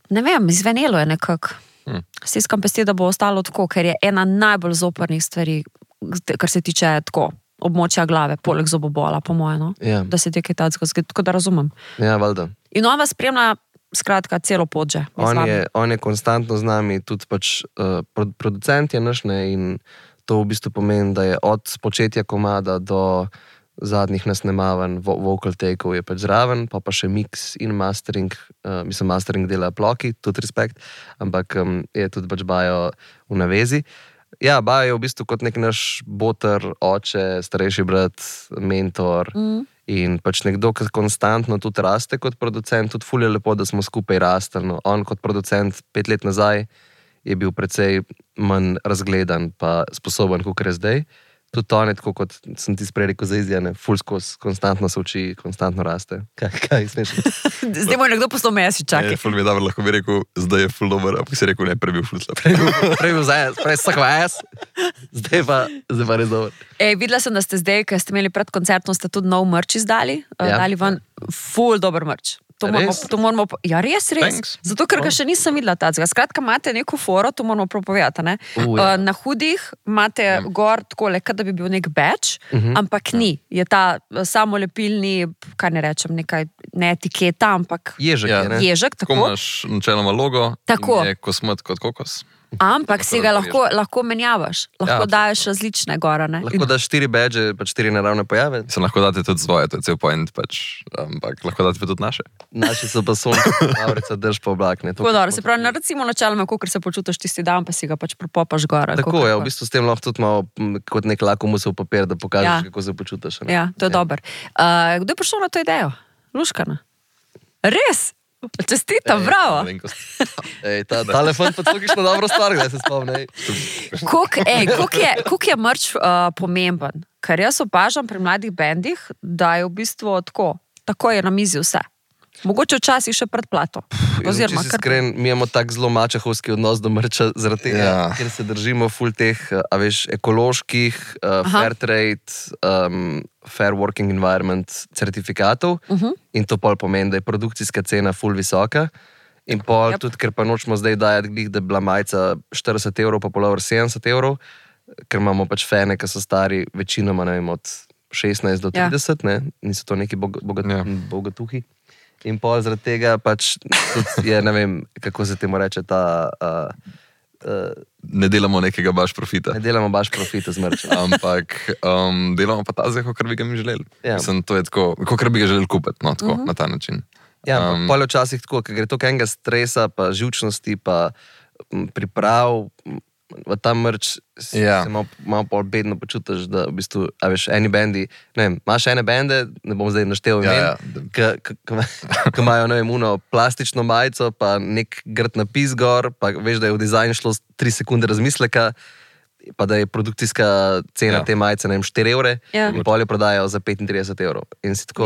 Ne vem, izvenelo je nekako. Stiskam pesti, da bo ostalo tako, ker je ena najbolj zoprnih stvari, kar se tiče tako območja glave, poleg zobobola, po moje, no? Ja. Da se ti kaj tacka zgodi, tako da razumem. Ja, valjda. In on vas spremlja, skratka, celo pot že. On je konstantno z nami, tudi pač producent je naš, ne, in to v bistvu pomeni, da je od spočetja komada do zadnjih nasnemavanj, vocal take-ov je pač zraven, pa še mix in mastering, mastering dela ploki, tudi respekt, ampak je tudi pač Bajo v navezi. Ja, Bajo je v bistvu kot nek naš boter, oče, starejši brat, mentor in pač nekdo, ki konstantno tudi raste kot producent, tudi ful je lepo, da smo skupaj rastli. No. On kot producent 5 let nazaj je bil precej manj razgledan pa sposoben, kot je zdaj. Tudi to ne, tako kot sem ti sprej rekel za Izijane, ful skozi, konstantno se uči, konstantno raste. Kaj smešno? Zdaj mu je nekdo poslal mesi, čakaj. Ful mi je dobro, lahko bi rekel, zdaj je ful dober, ampak si rekel, ne, prej bil ful slab. Prej bil zajas, prej sak vajas, zdaj pa res dober. Videla sem, da ste zdaj, ker ste imeli pred koncertom, ste tudi nov merch izdali, dali ven ful dober merch. To moramo, ja, res. Thanks. Zato, ker ga še nisem videla tacga. Skratka, imate neko foro, to moramo propovedati, ne? Ja. Na hudih imate gor takole, kad da bi bil nek badge, ampak ni. Je ta samolepilni, kaj ne rečem, nekaj, ne etiketa, ampak Ježek je, ne? Ježek, Tako tako. imaš načeloma logo, Tako. in je kosmet kot kokos. Ampak si ga lahko menjavaš, lahko daješ različne gore. Lahko daš 4 badge, pa 4 naravne pojave. Se lahko date tudi svoje, to je cel point, ampak lahko date tudi naše. Naši so pa sončni, avrica drž pa oblak. Se pravi, recimo načeloma, kako se počutiš tisti dan, pa si ga pač propopaš gore. Tako je, v bistvu s tem lahko tudi malo kot nek lakomusov papir, da pokažeš, kako se počutiš. Ja, to je dobro. Kdo je prišel na to idejo? Luškana? Res? Čestitam, bravo. Ta telefon pa tako dobro stvar, da se spomni. Koliko je merch pomemben? Ker jaz opažam pri mladih bendih, da je v bistvu tako je na mizi vse. Mogoče včasih še predplato. Če si iskren, mi imamo tak zelo mačehovski odnos do merča, zaradi tega, ker se držimo ful teh, ekoloških, fair trade, fair working environment certifikatov in to pol pomeni, da je produkcijska cena ful visoka in pol tudi, ker pa nočemo zdaj dajati, da je bila majica 40 €, pa polover 70 €, ker imamo pač fene, ki so stari večinoma, ne vem, od 16 do 30, niso to neki bogatuhi. In pol zaradi tega pač tudi je, ne vem, kako se temu reče ta... Ne delamo nekega baš profita. Ne delamo baš profita z merčem. Ampak delamo pa ta zdaj, kakor bi ga mi želeli. Mislim, to je tako, kakor bi ga želeli kupiti, no, tako, na ta način. Ja, pol je včasih tako, ker gre toliko enega stresa, pa živčnosti, pa priprav, v ta merč se malo pol bedno počutiš, da v bistvu, a veš, eni bendi, ne vem, imaš ene bende, ne bom zdaj naštel imen, ki imajo, ne vem, plastično majico, pa nek grd napis gor, pa veš, da je v dizajn šlo 3 sekunde razmisleka, pa da je produkcijska cena te majice, ne vem, 4 €, in pol jo prodajajo za 35 €. In si tako,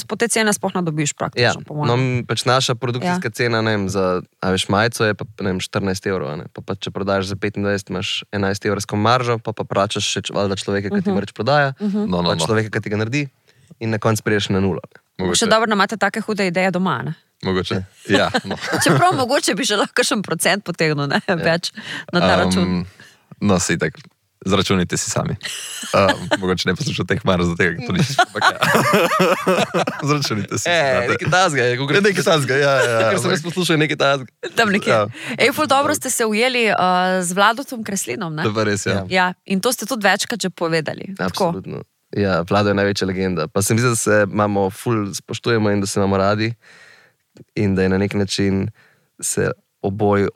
po te cene sploh ne dobiš praktično, po mojem. No, pač naša produkcijska cena, ne vem, za, a veš, majico je pa, ne vem, 14 €, ne, pa če prodajaš za 25, imaš 11 € maržo, pa plačaš še valjda človeka, ki ti merč prodaja, pa človeka, ki ti ga naredi, in na koncu priješ na 0. Še dobro, da imate take hude ideje doma, ne? Mogoče, ja. Čeprav mogoče bi že lahko še % potegnil, ne, več na ta račun. No, si tak, zračunite si sami. Mogoče ne poslušate teh marov za tega, to nič. Zračunite si. Nekaj tazga je. Nekaj tazga, ja. Ker sem jaz poslušal nekaj tazga. Tam nekaj. Ful dobro ste se ujeli z Vladotom Kreslinom, ne? To pa res, ja. Ja, in to ste tudi večkrat že povedali. Absolutno. Ja, Vlado je največja legenda. Pa se mi zdi, da se imamo ful spoštujemo in da se imamo radi in da je na nek način se oboj,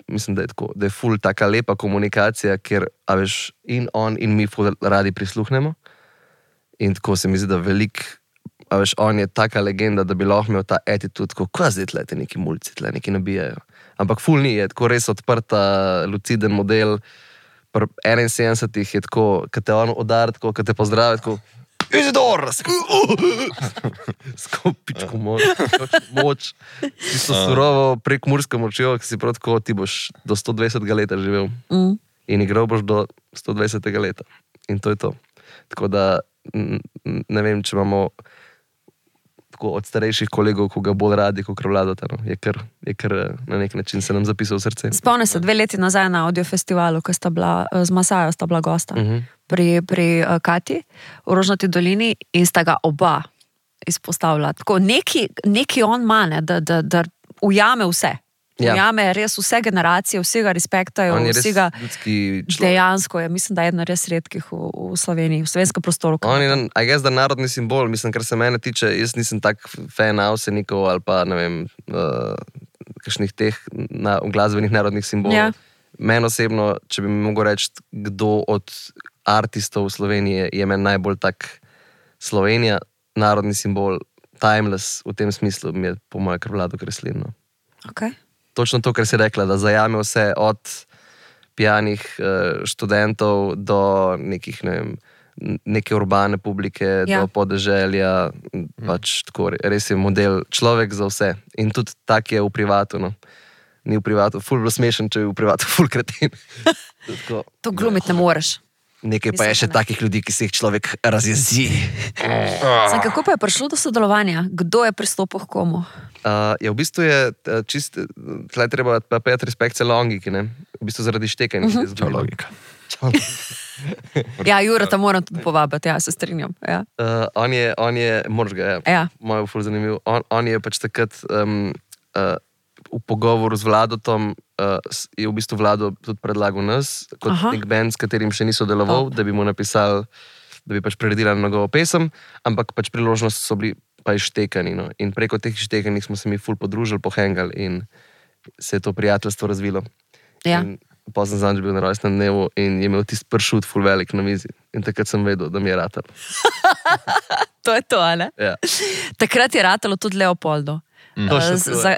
mislim, da je tako, da je ful taka lepa komunikacija, ker, a veš, in on in mi ful radi prisluhnemo. In tako se mi zdi, da a veš, on je taka legenda, da bi lahko imel ta attitude, ko zdaj tle neki mulci, tle neki nabijajo. Ampak ful ni, je tako res odprta, luciden model. Pri 71 je tako, kad te on udar, tako, kad te pozdravi, tako Izidor! Skopičko moč. Tisto surovo prek mursko močjo, ki si prav tako, ti boš do 120 leta živel. In igral boš do 120 leta. In to je to. Tako da, ne vem, če imamo tako od starejših kolegov, ko ga bolj radi, kot Vladota. No. Je kar na nek način se nam zapisal v srce. Spomnim se 2 leti nazaj na audiofestivalu, ko sta bila z Masajo, sta bila gosta. Pri Kati v Rožnati dolini in sta ga oba izpostavila. Tako, neki on ima, da ujame vse. Ujame res vse generacije, vsega respektajo, vsega dejansko je. Mislim, da je ena res redkih v Sloveniji, v slovenskem prostoru. On je, I guess, da narodni simbol, mislim, kar se mene tiče, jaz nisem tak fan Avsenikov ali pa, ne vem, kakšnih teh glasbenih narodnih simbolov. Meni osebno, če bi mi mogel reči, kdo od artistov v Sloveniji je meni najbolj tak Slovenija, narodni simbol, timeless v tem smislu, mi je po moje kar Vlado Kreslin. Okay. Točno to, kar si rekla, da zajame vse od pijanih študentov do nekih, ne vem, neke urbane publike, do podeželja, pač tako, res je model človek za vse. In tudi tak je v privatu, no. Ni v privatu, ful bilo smešen, če je v privatu ful kretin. To glumiti ne moreš. Nekaj pa je še takih ljudi, ki se jih človek razjezi. Kako pa je prišlo do sodelovanja? Kdo je pristopil k komu? V bistvu je čist, tle treba pejati respekt celo logiki, ne? V bistvu zaradi štekanja. Čau logika. Ja, Jurata moram tudi povabiti, ja, se strinjam. Ja. On je, moraš ga, ja. Moj je ful zanimiv. On je pač takrat v pogovoru z Vladotom je v bistvu Vlado tudi predlagal nas, kot nek band, s katerim še ni sodeloval, da bi mu napisali, da bi pač preredili njegovo pesem, ampak pač priložnost so bili pa ištekani. No. In preko teh ištekanih smo se mi ful podružili, pohengali in se je to prijateljstvo razvilo. Ja. Pozem zanj bil na rojstnem dnevu in je imel tisti pršut ful velik na mizi. In takrat sem vedel, da mi je ratal. To je to, ne? Ja. Takrat je ratalo tudi Leopoldo.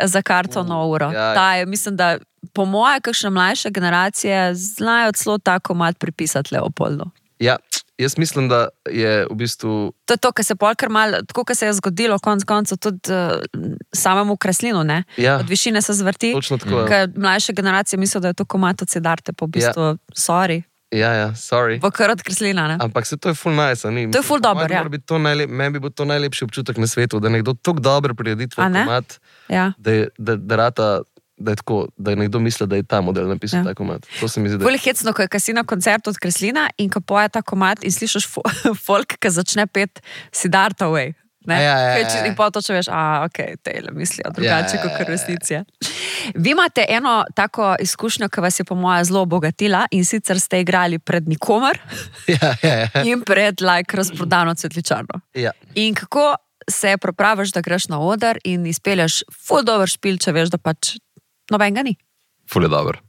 Za kartono uro. Ja. Mislim, da po moje, kakšne mlajše generacije znajo celo tako mat pripisati Leopoldu. Ja, jaz mislim, da je v bistvu... To je to, kar se polkar malo, tako kar se je zgodilo konc koncev tudi samemu Kreslinu, ne? Ja. Od višine se zvrti. Točno tako. Ker mlajše generacije mislijo, da je to komat od Siddharte, pa v bistvu, sorry. Ja, sorry. Bo kar od Kreslina, ne? Ampak se to je ful nice, ni? To je ful dober, ja. Meni bi bil to najlepši občutek na svetu, da nekdo tako dobro priredi tvoj komat, ja. da je tako, da je nekdo misli, da je ta model napisal ta komat. To se mi zdi, da... Bolj hecno, ko je Casino koncert od Kreslina in ko poje ta komat in slišiš folk, ki začne pet Siddharta Way. Ja. In pa točno veš, ok, tejle mislijo drugače kot resnice. Vi imate eno tako izkušnjo, ki vas je po moje zelo obogatila in sicer ste igrali pred nikomer in pred razprodano Cvetličarno. Ja. In kako se pripraviš, da greš na oder in izpelješ ful dober špil, če veš, da pač nobenega ni. Ful je dober.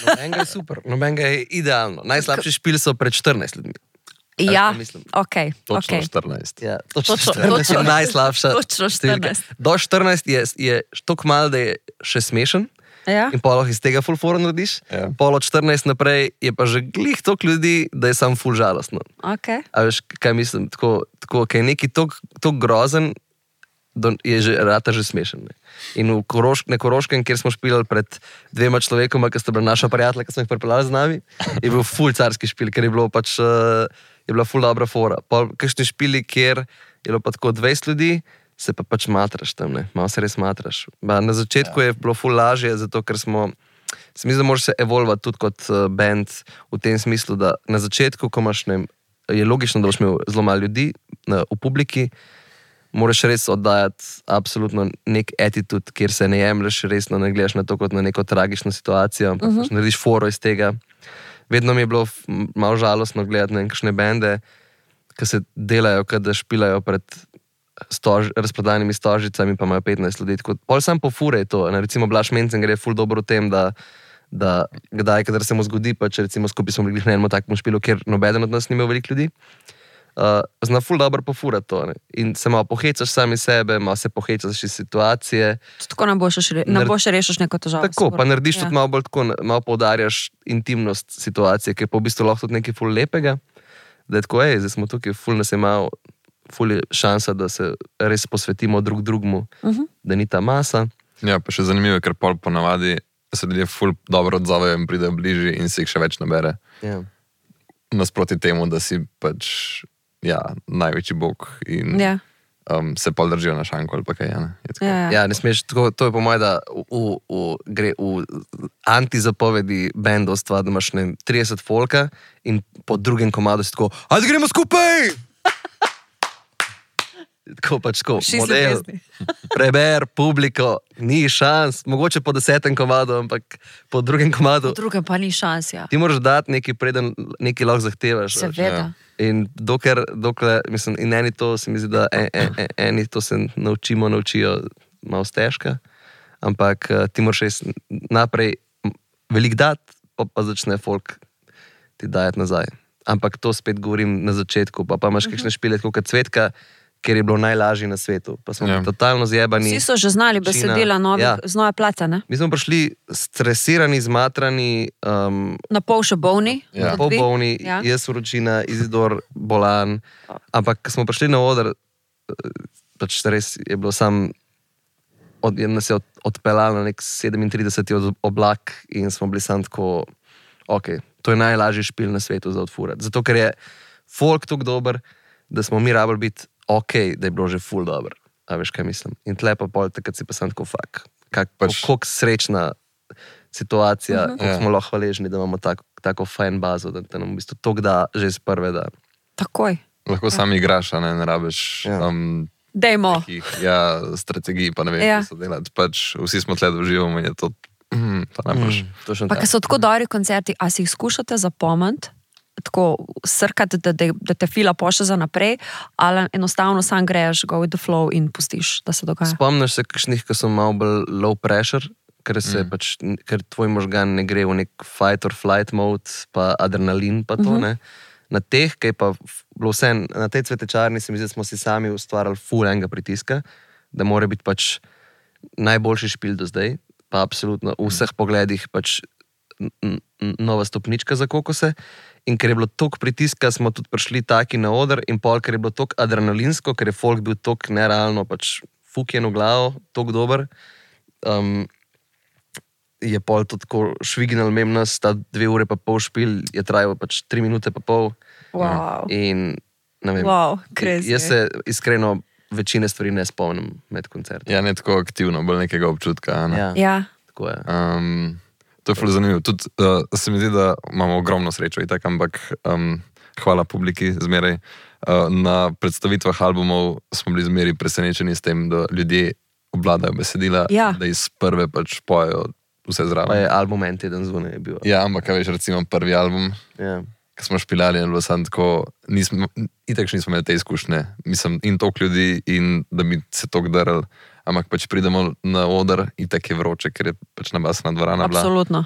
Nobenega je super, nobenega je idealno. Najslabši špil so pred 14 ljudmi. Ja, ok. Točno 14. Ja, točno 14 je najslabša. Točno 14. Do 14 je toliko malo, da je še smešen. Ja. In poloh iz tega ful fora narediš. Ja. Pol od 14 naprej je pa že glih toliko ljudi, da je sam ful žalostno. Ok. A veš, kaj mislim? Tako, kaj je neki toliko grozen, je že rata že smešen. Ne? In na Koroškem, kjer smo špilali pred 2 človekoma, ki sta bila naša prijatelja, ki smo jih pripeljali z nami, je bil ful carski špil, ker je bilo pač, je bila ful dobra fora. Pol kakšni špili, kjer je bilo pa tako 20 ljudi, se pa pač matraš tam, ne? Malo se res matraš. Na začetku je bilo ful lažje, zato ker se mi zdi, da moraš se evolvati tudi kot band v tem smislu, da na začetku, ko imaš, ne, je logično, da boš imel zelo malo ljudi v publiki, moraš res oddajati absolutno nek attitude, kjer se ne jemlješ resno, ne gledaš na to kot na neko tragično situacijo, ampak pač narediš foro iz tega. Vedno mi je bilo malo žalostno gledati na kakšne bende, ki se delajo, kada špilajo pred razprodanimi stožicami, pa imajo 15 ljudi. Pol sam po fure je to. Recimo Blaž Mencen gre ful dobro v tem, da kdaj, kadar se mu zgodi, pa če recimo skupaj smo bili na enem takemu špilu, kjer nobeden od nas ni imel veliko ljudi, zna ful dobro pofurati to. Ne? In se malo pohecaš sami sebe, malo se pohecaš iz situacije. Tako ne boš rešiš neko težavo. Tako, pa narediš tudi malo bolj tako, malo poudarjaš intimnost situacije, ki je pa v bistvu lahko tudi nekaj ful lepega, da je tako, zdaj smo tukaj, ful nas je malo, ful je šansa, da se res posvetimo drug drugmu, da ni ta masa. Ja, pa še zanimivo, ker pol ponavadi se ljudje ful dobro odzovejo in pridejo bližji in se jih še več nabere. Ja. Nasproti temu, da si pač največji bog in se pol držijo na šanku ali pa kaj. Ja, ne smeš, tako, to je po moje, da gre v antizapovedi bendovstva, da imaš 30 folka in po drugem komadu si tako, ajde gremo skupaj! Tako pač, model, preber, publiko, ni šans, mogoče po 10. komadu, ampak po drugem komadu. Po drugem pa ni šans, ja. Ti moraš dati nekaj, preden nekaj lahko zahtevaš. Seveda. In dokler, mislim, in eni to se mi zdi, da eni to se naučijo malo stežka, ampak ti moraš res naprej veliko dati, pa začne folk ti dajati nazaj. Ampak to spet govorim na začetku, pa imaš kakšne špile, kot Cvetka, ker je bilo najlažje na svetu. Pa smo totalno zjebani. Vsi so že znali besedila z nove plate, ne? Mi smo prišli stresirani, zmatrani. Na pol še bolni. Na pol bolni, jaz vročina, Izidor bolan. Ampak ko smo prišli na oder, pač res je bilo sam, nas je odpeljal na nek 37. oblak in smo bili sam tako, ok, to je najlažji špil na svetu za odfurati. Zato, ker je folk tako dober, da smo mi rabili biti ok, da je bilo že ful dober. A veš, kaj mislim? In tle pa pol, takrat si pa sam tako fak. Koliko srečna situacija, koliko smo lahko hvaležni, da imamo tako fajn bazo, da nam v bistvu to da že iz prve, da... Takoj. Lahko sam igraš, ne rabiš Dajmo. strategij, pa ne vem, Ja. kako so delati. Pač vsi smo tle, da uživamo in je to najbolj. Točno Pa tako. ker so tako dobri koncerti, a si jih skušate zapomniti, tako srkati, da te fila pošle za naprej, ali enostavno sam greš, go with the flow in pustiš, da se dogaja. Spomniš se kakšnih, ki so malo bolj low pressure, ker tvoj možgan ne gre v nek fight or flight mode, pa adrenalin pa to, ne. Na teh, ki je pa bilo vse, na tej cvetečarni se mi zdi, da smo si sami ustvarjali full enega pritiska, da mora biti pač najboljši špil do zdaj, pa absolutno v vseh pogledih pač nova stopnička za kokose. In ker je bilo toliko pritiska, smo tudi prišli taki na oder in pol, ker je bilo toliko adrenalinsko, ker je folk bil toliko nerealno pač fukjen v glavo, toliko dober, je pol to tako švignal mem nas, ta 2 ure pa pol špil je trajal pač 3 minute pa pol. Wow. In ne vem, Crazy. jaz se iskreno večine stvari ne spomnim med koncertom. Ja, ne tako aktivno, bolj nekega občutka. Ne? Ja. Tako je. To je ful zanimivo. Tudi se mi zdi, da imamo ogromno srečo itak, ampak hvala publiki zmeraj. Na predstavitvah albumov smo bili zmeraj presenečeni s tem, da ljudje obvladajo besedila, da iz prve pač pojejo vse zraven. Pa je album en teden zunaj je bil. Ja, ampak veš, recimo prvi album, ko smo špilali, je bilo samo tako, itak še nismo imeli te izkušnje, mislim, in toliko ljudi, in da bi se toliko drl, ampak pač pridemo na oder, itak je vroče, ker je pač nabasana dvorana bila. Absolutno.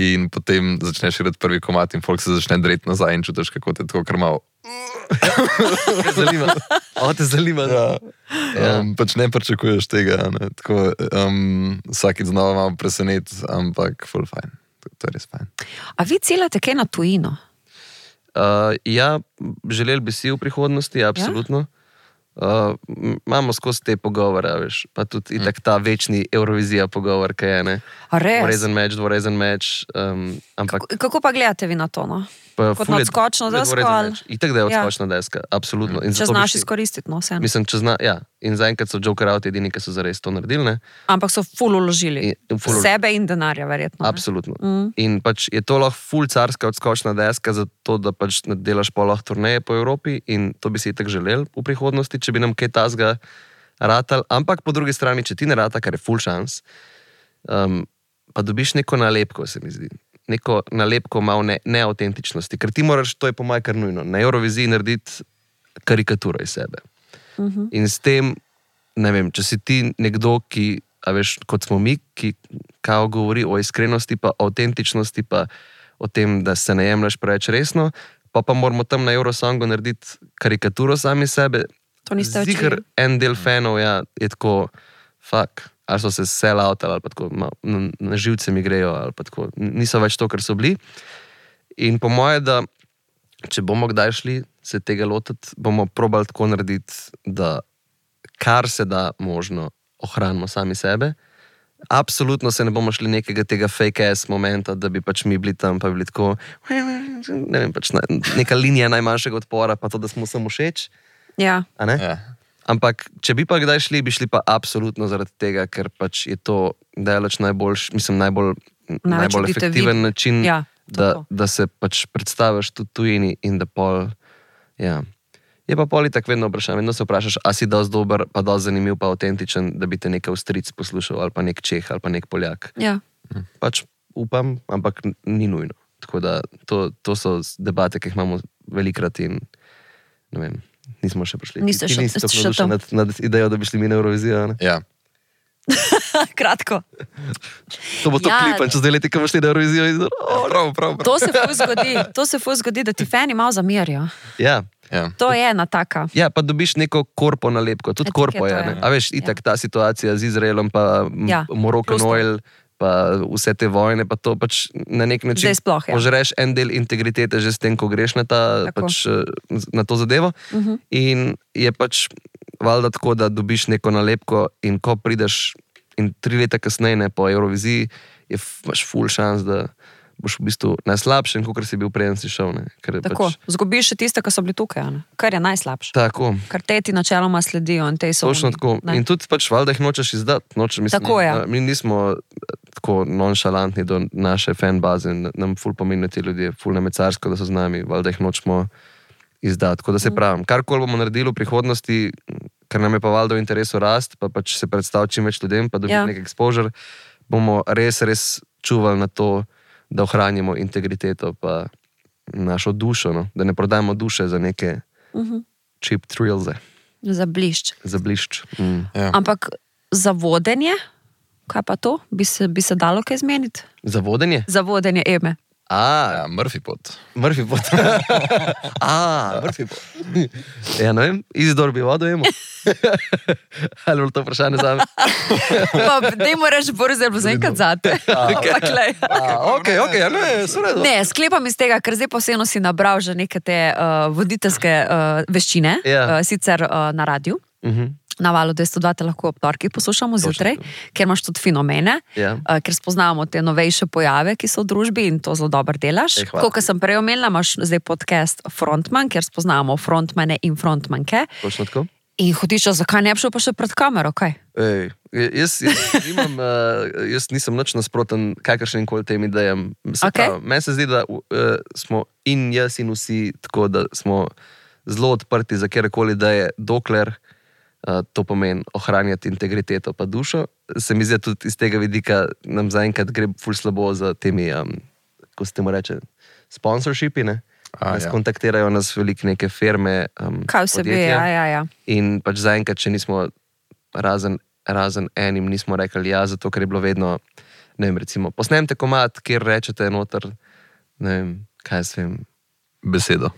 In potem začneš igrati prvi komad in folk se začne dreti nazaj in čutiš, kako te tako krmal. Zanima. Te zanima. Ja. Pač ne pričakuješ tega. Ne? Tako, vsakič znova malo presenet, ampak full fajn. To je res fajn. A vi ciljate kaj na tujino? Ja, želeli bi si v prihodnosti, absolutno. Imamo skozi te pogovore, veš, pa tudi itak ta večni Eurovizija pogovor, kaj je, ne? Dvorezen meč, ampak... Kako pa gledate vi na to, no? Kot na odskočno desko? Itak, da je odskočna deska, absolutno. Če znaš izkoristiti, no, vseeno. Mislim, ja. In zaenkrat so Joker Out edini, ki so zares to naredili, ne? Ampak so ful uložili. Sebe in denarja, verjetno. Absolutno. In pač je to lahko ful carska odskočna deska, zato da pač delaš pa lahko turneje po Evropi in to bi si itak želel v prihodnosti, če bi nam kaj tazga ratal. Ampak po drugi strani, če ti ne rata, kar je ful šans, pa dobiš neko nalepko, se mi zdi. Neko nalepko malo neautentičnosti, ker ti moraš, to je po mojem kar nujno, na Euroviziji narediti karikaturo iz sebe. In s tem, ne vem, če si ti nekdo, ki, a veš, kot smo mi, ki kao govori o iskrenosti, pa autentičnosti, pa o tem, da se ne jemlješ preveč resno, pa moramo tam na Eurosongu narediti karikaturo sami sebe. To niste učili. Ziher en del fanov, ja, je tako, fuck, ali so se sell out, ali pa tako, na živce mi grejo, ali pa tako, niso več to, kar so bili. In po moje, da če bomo kdaj šli se tega lotiti, bomo probali tako narediti, da kar se da možno ohranimo sami sebe. Absolutno se ne bomo šli nekega tega fake ass momenta, da bi pač mi bili tam, pa bi bili tako, ne vem, pač neka linija najmanjšega odpora, pa to, da smo samo všeč. Ja. A ne? Ja. Ampak, če bi pa kdaj šli, bi šli pa absolutno zaradi tega, ker pač je to daleč najbolj efektiven način, da se pač predstaviš tudi tujini in da pol, ja. Je pa pol itak vedno vprašanje, vedno se vprašaš, a si dosti dober, pa dosti zanimiv, pa autentičen, da bi te nek Avstrijec poslušal, ali pa nek Čeh, ali pa nek Poljak. Ja. Pač upam, ampak ni nujno. Tako da to so debate, ki jih imamo velikrat in ne vem. Nismo še prišli. Niste še tam. Nad idejo, da bi šli mi na Eurovizijo, ne? Ja. Kratko. To bo to klipan, če zdaj leti, ko boš šli na Eurovizijo. Prav. To se ful zgodi, da ti fani malo zamerijo. Ja. To je ena taka. Ja, pa dobiš neko korpo nalepko, tudi korpo je, ne? A veš, itak ta situacija z Izraelom, pa Moroccan Oil, pa vse te vojne, pa to pač na nek način požreš en del integritete že s tem, ko greš na to zadevo. In je pač valjda tako, da dobiš neko nalepko in ko prideš in 3 leta kasneje po Euroviziji, imaš ful šans, da boš v bistvu najslabši, kot si bil preden si šel. Tako, zgubiš še tiste, ki so bili tukaj, ne? Kar je najslabše. Tako. Kar te ti načeloma sledijo in te so točno tako. In tudi pač valjda jih nočeš izdati. Tako je. Mi nismo tako nonšalantni do naše fanbaze, nam ful pomenijo ti ljudje, ful nemecarsko, da so z nami, valjda jih nočemo izdati. Tako da se pravim, karkoli bomo naredili v prihodnosti, ker nam je pa valjda v interesu rast, pa pač se predstaviti čim več ljudem, pa dobiti nek exposure, bomo res čuvali na to, da ohranimo integriteto pa našo dušo, no? Da ne prodajemo duše za neke cheap thrills. Za blišč. Za blišč. Ja. Ampak za vodenje, kaj pa to? Bi se dalo kaj zmeniti? Za vodenje? Za vodenje Eme. Ja, Murphy pot. Murphy pot. Murphy pot. Ja, ne vem, Izidor bi vodo Emo. Ali bo to vprašanje za me? Dajmo reči, Boris, da bo zaenkrat zate. Ok, ja, ne, so Ne, sklepam iz tega, ker zdaj posebno si nabral že neke te voditeljske veščine, sicer na radiju. Na Valu 202 te lahko ob torkih poslušamo zjutraj, ker imaš tudi fenomene, ker spoznavamo te novejše pojave, ki so v družbi in to zelo dobro delaš. Kot sem prej omenila, imaš zdaj podcast Frontman, kjer spoznavamo frontmane in frontmanke. Točno tako. In hotiča, zakaj ne bi šel pa še pred kamero, kaj? Jaz nisem nič nasproten kakršnim koli tem idejam. Meni se zdi, da smo in jaz in vsi tako, da smo zelo odprti za kjerkoli ideje, dokler to pomeni ohranjati integriteto pa dušo. Se mi zdi tudi iz tega vidika, nam zaenkrat gre ful slabo za temi, ko se temu reče, sponsorshipi, ne? Nas kontaktirajo nas veliko neke firme, kaj vse bi, ja. In pač zaenkrat, če nismo razen enim, nismo rekli ja, zato ker je bilo vedno, ne vem, recimo, posnemte komad, kjer rečete noter, ne vem, kaj se vem. Besedo,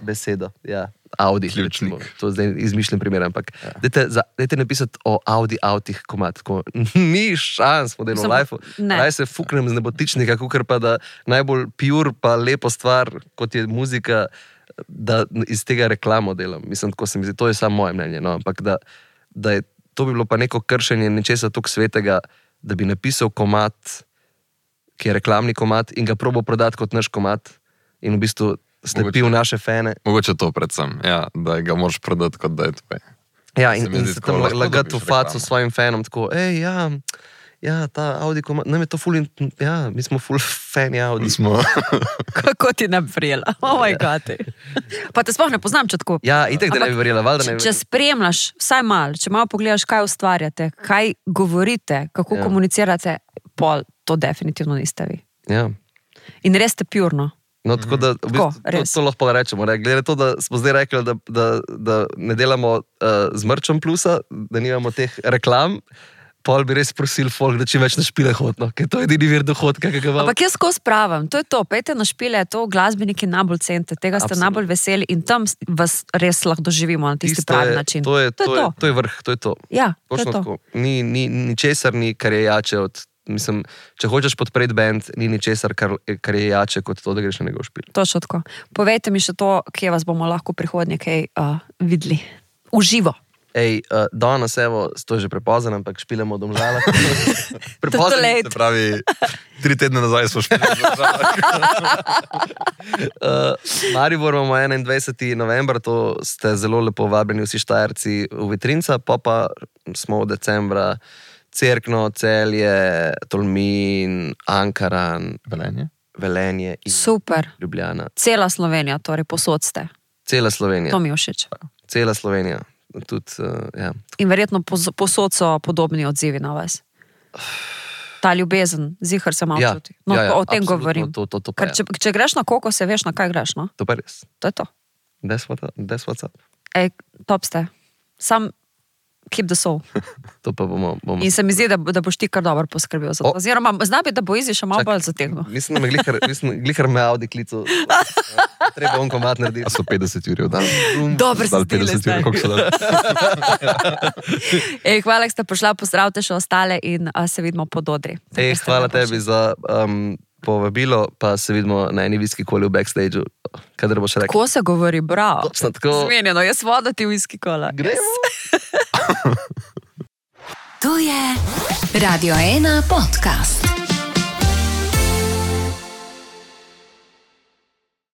ja. Audi, recimo. To zdaj izmišljen primer, ampak dajte napisati o Audi avtih komad, tako ni šans v delu life-u. Raj se fuknem z nebotičnika, kukor pa da najbolj pure pa lepo stvar, kot je muzika, da iz tega reklamo delam. Mislim, tako se mi zdi, to je samo moje mnenje, no, ampak da je, to bi bilo pa neko kršenje nečesa toliko svetega, da bi napisal komad, ki je reklamni komad in ga probal prodati kot naš komad in v bistvu slepil naše fene. Mogoče to predvsem, ja, da ga moraš prodati, kot da je tvoje. Ja, in se tam lagati v faco svojim fenom, tako, ta Audi komad, nam je to ful, ja, mi smo ful fani Audi. Kako ti ne bi verjela? Oh my God. Pa te sploh ne poznam, če tako. Ja, itek te ne bi verjela, valjda ne bi verjela. Če spremljaš, vsaj malo, če malo pogledaš, kaj ustvarjate, kaj govorite, kako komunicirate, pol, to definitivno niste vi. Ja. In res ste purno. No, tako da, v bistvu, to lahko rečemo. Glede to, da smo zdaj rekli, da ne delamo z mrčom plusa, da nimamo teh reklam, pol bi res prosil folk, da čim več na špile hodno, ker to je edini vir dohodka, ki ga imam. Ampak jaz skozi pravim, to je to, pejte na špile, to glasbeniki najbolj cente, tega ste najbolj veseli in tam vas res lahko doživimo na tisti pravi način. To je vrh, to je to. Ja, to je to. Ničesar ni, kar je jače od... Mislim, če hočeš podpreti band, ni ničesar, kar je jače kot to, da greš na njegov špil. Točno tako. Povejte mi še to, kje vas bomo lahko prihodnje kaj videli. Uživo. Danes, evo, to je že prepozen, ampak špilemo v Domžalah. Prepozen, se pravi, 3 tedne nazaj smo špili v Domžalah. Maribor imamo 21. november, to ste zelo lepo vabljeni vsi Štajerci v Vitrinca, pa smo v decembra Cerkno, Celje, Tolmin, Ankaran, Velenje in super. Ljubljana. Cela Slovenija, torej posod ste. Cela Slovenija. To mi je všeč. Cela Slovenija. Tudi, ja. In verjetno posod so podobni odzivi na vas. Ta ljubezen, zihar se malo čuti. No, o tem govorim. Ker če greš na koko, se veš, na kaj greš, no? To pa res. To je to. That's what's up. Top ste. Sam keep the soul. To pa bomo... In se mi zdi, da boš ti kar dobro poskrbel za to. Oziroma, zna bi, da bo Izi še malo bolj zategnil. Mislim, da me glihar me Audi klicu. Treba on komad narediti. A so 50 ur v dan? Dobro se stile zdaj. Hvala, da ste prišla, pozdravite še ostale in se vidimo pod odri. Hvala tebi za povabilo, pa se vidimo na eni viski koli v backstage-u. Kadar boš rekel. Tako se govori, bravo. Točno tako. Zmenjeno, jaz voda ti viski kola. Gremo. To je Radio 1 podcast.